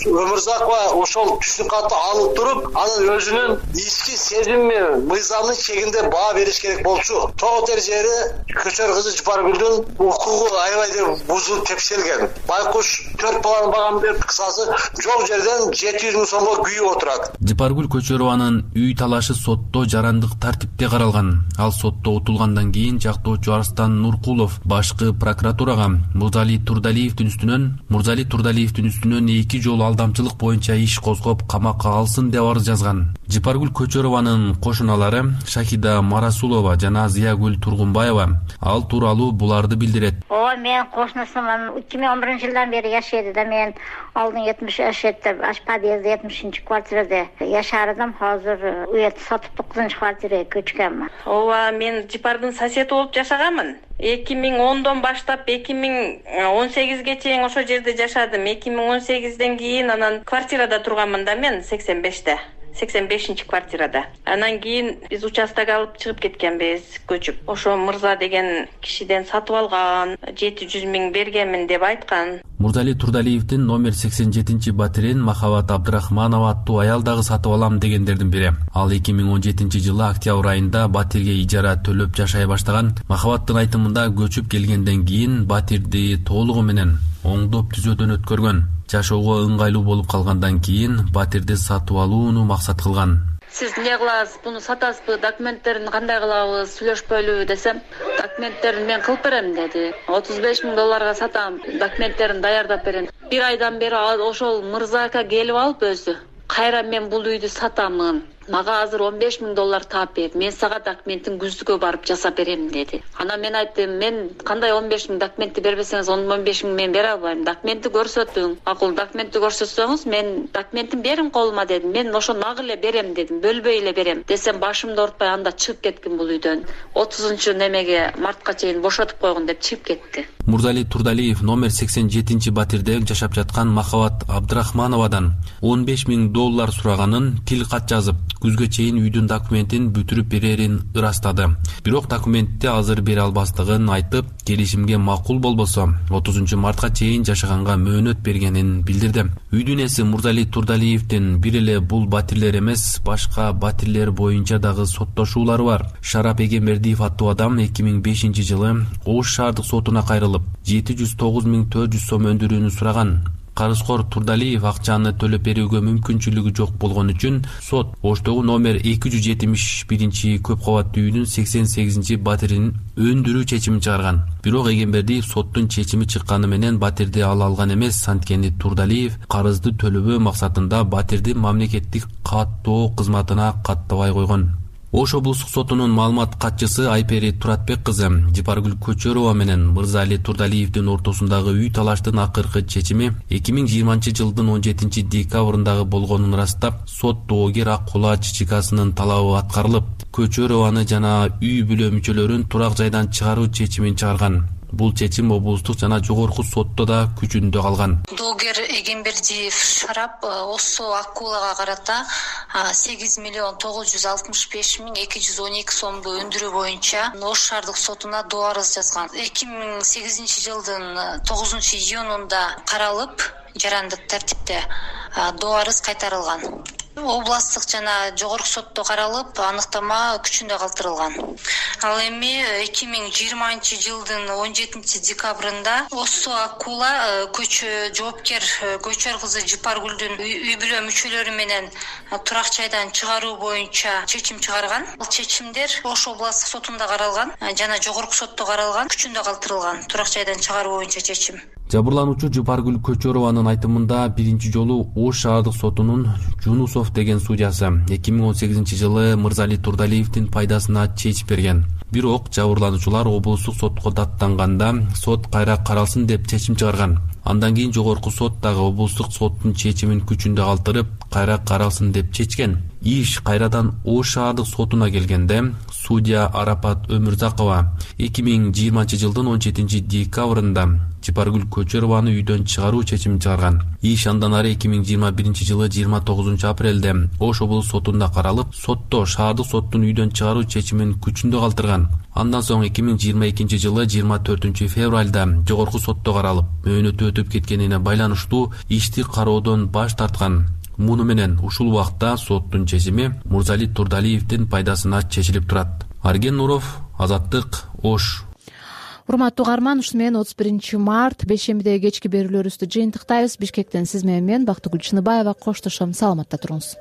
Өмүрзакова ошол түшүн катты алып туруп, анын өзүнүн ички сезими мыйзамдын чегинде баа бериш керек болчу. Тоотер жери Көчөр кызы Жапаргүлдүн укугу аябай деп бузулуп тепселген. Байкуш төрт баланын багам берип кысасы жок жерден жети жүз миң сомго күйүп отурат. Жапаргүл Көчөрованын үй талашы сотто жарандык тартипте каралган. Ал сотто утулгандан кийин жактоочу Арстан Нуркулов башкы прокуратурага Мурзали Турдалиевдин үстүнөн Мурзали Турдалиевдин үстүнөн эки жолу алдамчылык боюнча иш козгоп камакка алсын деп арыз жазган. Жапаргүл Көчөрованын кошуналары Шахида Марасулова жана Зиягүл Тургунбаева ал тууралуу буларды билдирет. Ооба, мен кошунусумун эки миң он биринчи жылдан бери жашайды да. Мен алдын жетимиш жашайды, аш подъезд жетимишинчи квартирада жашардым. Азыр ует сатып тогузунчу квартирага көчкөнмүн. Ооба, мен Жапардын соседи болуп жашаганмын. эки миң ондон баштап эки миң он сегизге чейин ошол жерде жашадым. эки миң он сегизден кийин анан квартирада турганмын да мен сексен беште. сексен бешинчи квартирада. Анан кийин биз участок алып чыгып кеткенбиз, көчүп. Ошо Мырза деген кишиден сатып алган, жети жүз миң бергенмин деп айткан. Мурзали Турдалиевдин номер сексен жетинчи батирин Махабат Абдрахманова аттуу аял дагы сатып алам дегендердин бири. Ал эки миң он жетинчи жылы октябрь айында батирге ижара төлөп жашай баштаган. Махабаттын айтымында көчүп келгенден кийин батирди толугу менен оңдоп түзөөдөн өткөргөн. Жашоого ыңгайлуу болуп калгандан кийин батирди сатып алууну максат кылган. Сиз эмне кыласыз, буну сатасызбы, документтерин кандай кылабыз, сүйлөшпөйлүбү десем, документтерин мен кылып берем деди. отуз беш миң долларга сатам, документтерин даярдап берем. Бир айдан бери ошол Мырзака келип алып өзү, кайра мен бул үйдү сатамын. Мага азыр он беш миң доллар таап бер. Мен сага документин күздүгө барып жасап берем деди. Анан мен айттым, мен кандай он беш миң документти бербесеңиз он беш миң мен бере албайм. Документти көрсөтүң. Акыл документти көрсөтсөңүз мен документин бериң колума дедим. Мен ошо нагы эле берем дедим. Бөлбөй эле берем. Десем башымды ортпай анда чыгып кеткин бул үйдөн. отузунчу немеге мартка чейин бошотуп койгун деп чыгып кетти. Мурзали Турдалиев номер сексен жетинчи батирде жашап жаткан Махабат Абдрахмановадан он беш миң доллар сураганын тил кат жазып, күзгө чейин үйдүн документин бүтүрүп берерин ырастады. Бирок документти азыр бере албастыгын айтып, келишимге макул болбосо отузунчу мартка чейин жашаганга мөөнөт бергенин билдирди. Үйдүн ээси Мурзали Турдалиевдин бир эле бул батирлер эмес, башка батирлер боюнча дагы соттошуулары бар. Шарап Эгембердиев аттуу адам эки миң бешинчи жылы Ош шаардык сотуна кайрылып, жети жүз тогуз миң төрт жүз сом өндүрүүнү сураган. Карызкор Турдалиев акчаны төлөп берүүгө мүмкүнчүлүгү жок болгон үчүн сот Оштогу номер эки жүз жетимиш биринчи көп кабаттуу үйдүн сексен сегизинчи батирин өндүрүү чечимин чыгарган. Бирок Эгембердиев соттун чечими чыкканы менен батирди ала алган эмес. Анткени Турдалиев карызды төлөбөө максатында батирди мамлекеттик каттоо кызматына каттабай койгон. Ош облустук сотунун маалымат катчысы Айпери Туратбек кызы Жипаргүл Көчөрова менен Мырзали Турдалиевдин ортосундагы үй талаштын акыркы чечими эки миң жыйырманчы жылдын он жетинчи декабрындагы болгонун ырастап, сот доогер Аккула Чичикасынын талабы аткарылып, Көчөрованы жана үй бүлө мүчөлөрүн турак жайдан чыгаруу чечимин чыгарган. Бул чечим облустук жана жогорку сотто да күчүндө калган. Доогер Эгембердиев Шарап Осо Аккулага карата сегиз миллион тогуз жүз алтымыш беш миң эки жүз он эки сомду өндүрүү боюнча Ош шаардык сотуна доо арыз жазган. эки миң сегизинчи жылдын тогузунчу июнунда каралып, жарандык тартипте доо арыз кайтарылган. Областтык жана жогорку сотто каралып, аныктама күчүндө калтырылган. Ал эми эки миң жыйырманчы жылдын он жетинчи декабрында Осо Аккула көчө жоопкер Көчөр кызы Жипаргүлдүн үй бүлө мүчөлөрү менен турак жайдан чыгаруу боюнча чечим чыгарган. Бул чечимдер Ош областтык сотунда каралган жана жогорку сотто каралган, күчүндө калтырылган турак жайдан чыгаруу боюнча чечим. Жабырлануучу Жипаргүл Көчөрованын айтымында биринчи жолу Ош шаардык сотунун Жунусов деген судьясы эки миң он сегизинчи жылы Мырзали Турдалиевдин пайдасына чечип берген. Бирок жабырлануучулар облустук сотко даттанганда сот кайра каралсын деп чечим чыгарган. Андан кийин жогорку сот дагы облустук соттун чечимин күчүндө калтырып, кайра каралсын деп чечкен. Иш кайрадан Ош шаардык сотуна келгенде судья Арапат Өмүрзакова эки миң жыйырманчы жылдын он жетинчи декабрында Жипаргүл Көчөрованы үйдөн чыгаруу чечимин чыгарган. Иш андан ары эки миң жыйырма биринчи жылы жыйырма тогузунчу апрелде Ош облустук сотунда каралып, сотто шаардык соттун үйдөн чыгаруу чечимин күчүндө калтырган. Андан соң эки миң жыйырма экинчи жылы жыйырма төртүнчү февралда жогорку сотто каралып, мөөнөтү өтүп кеткенине байланыштуу ишти кароодон баш тарткан. Муну менен ушул убакта соттун чечими Мырзали Турдалиевдин пайдасына чечилип турат. Арген Нуров, Азаттык, Ош. Урматтуу угарман, ушуну менен отуз биринчи март бейшембидеги кечки берүүлөрүбүздү жыйынтыктайбыз. Бишкектен сиз менен мен Бактыгүл Чыныбаева коштошом. Саламатта туруңуз.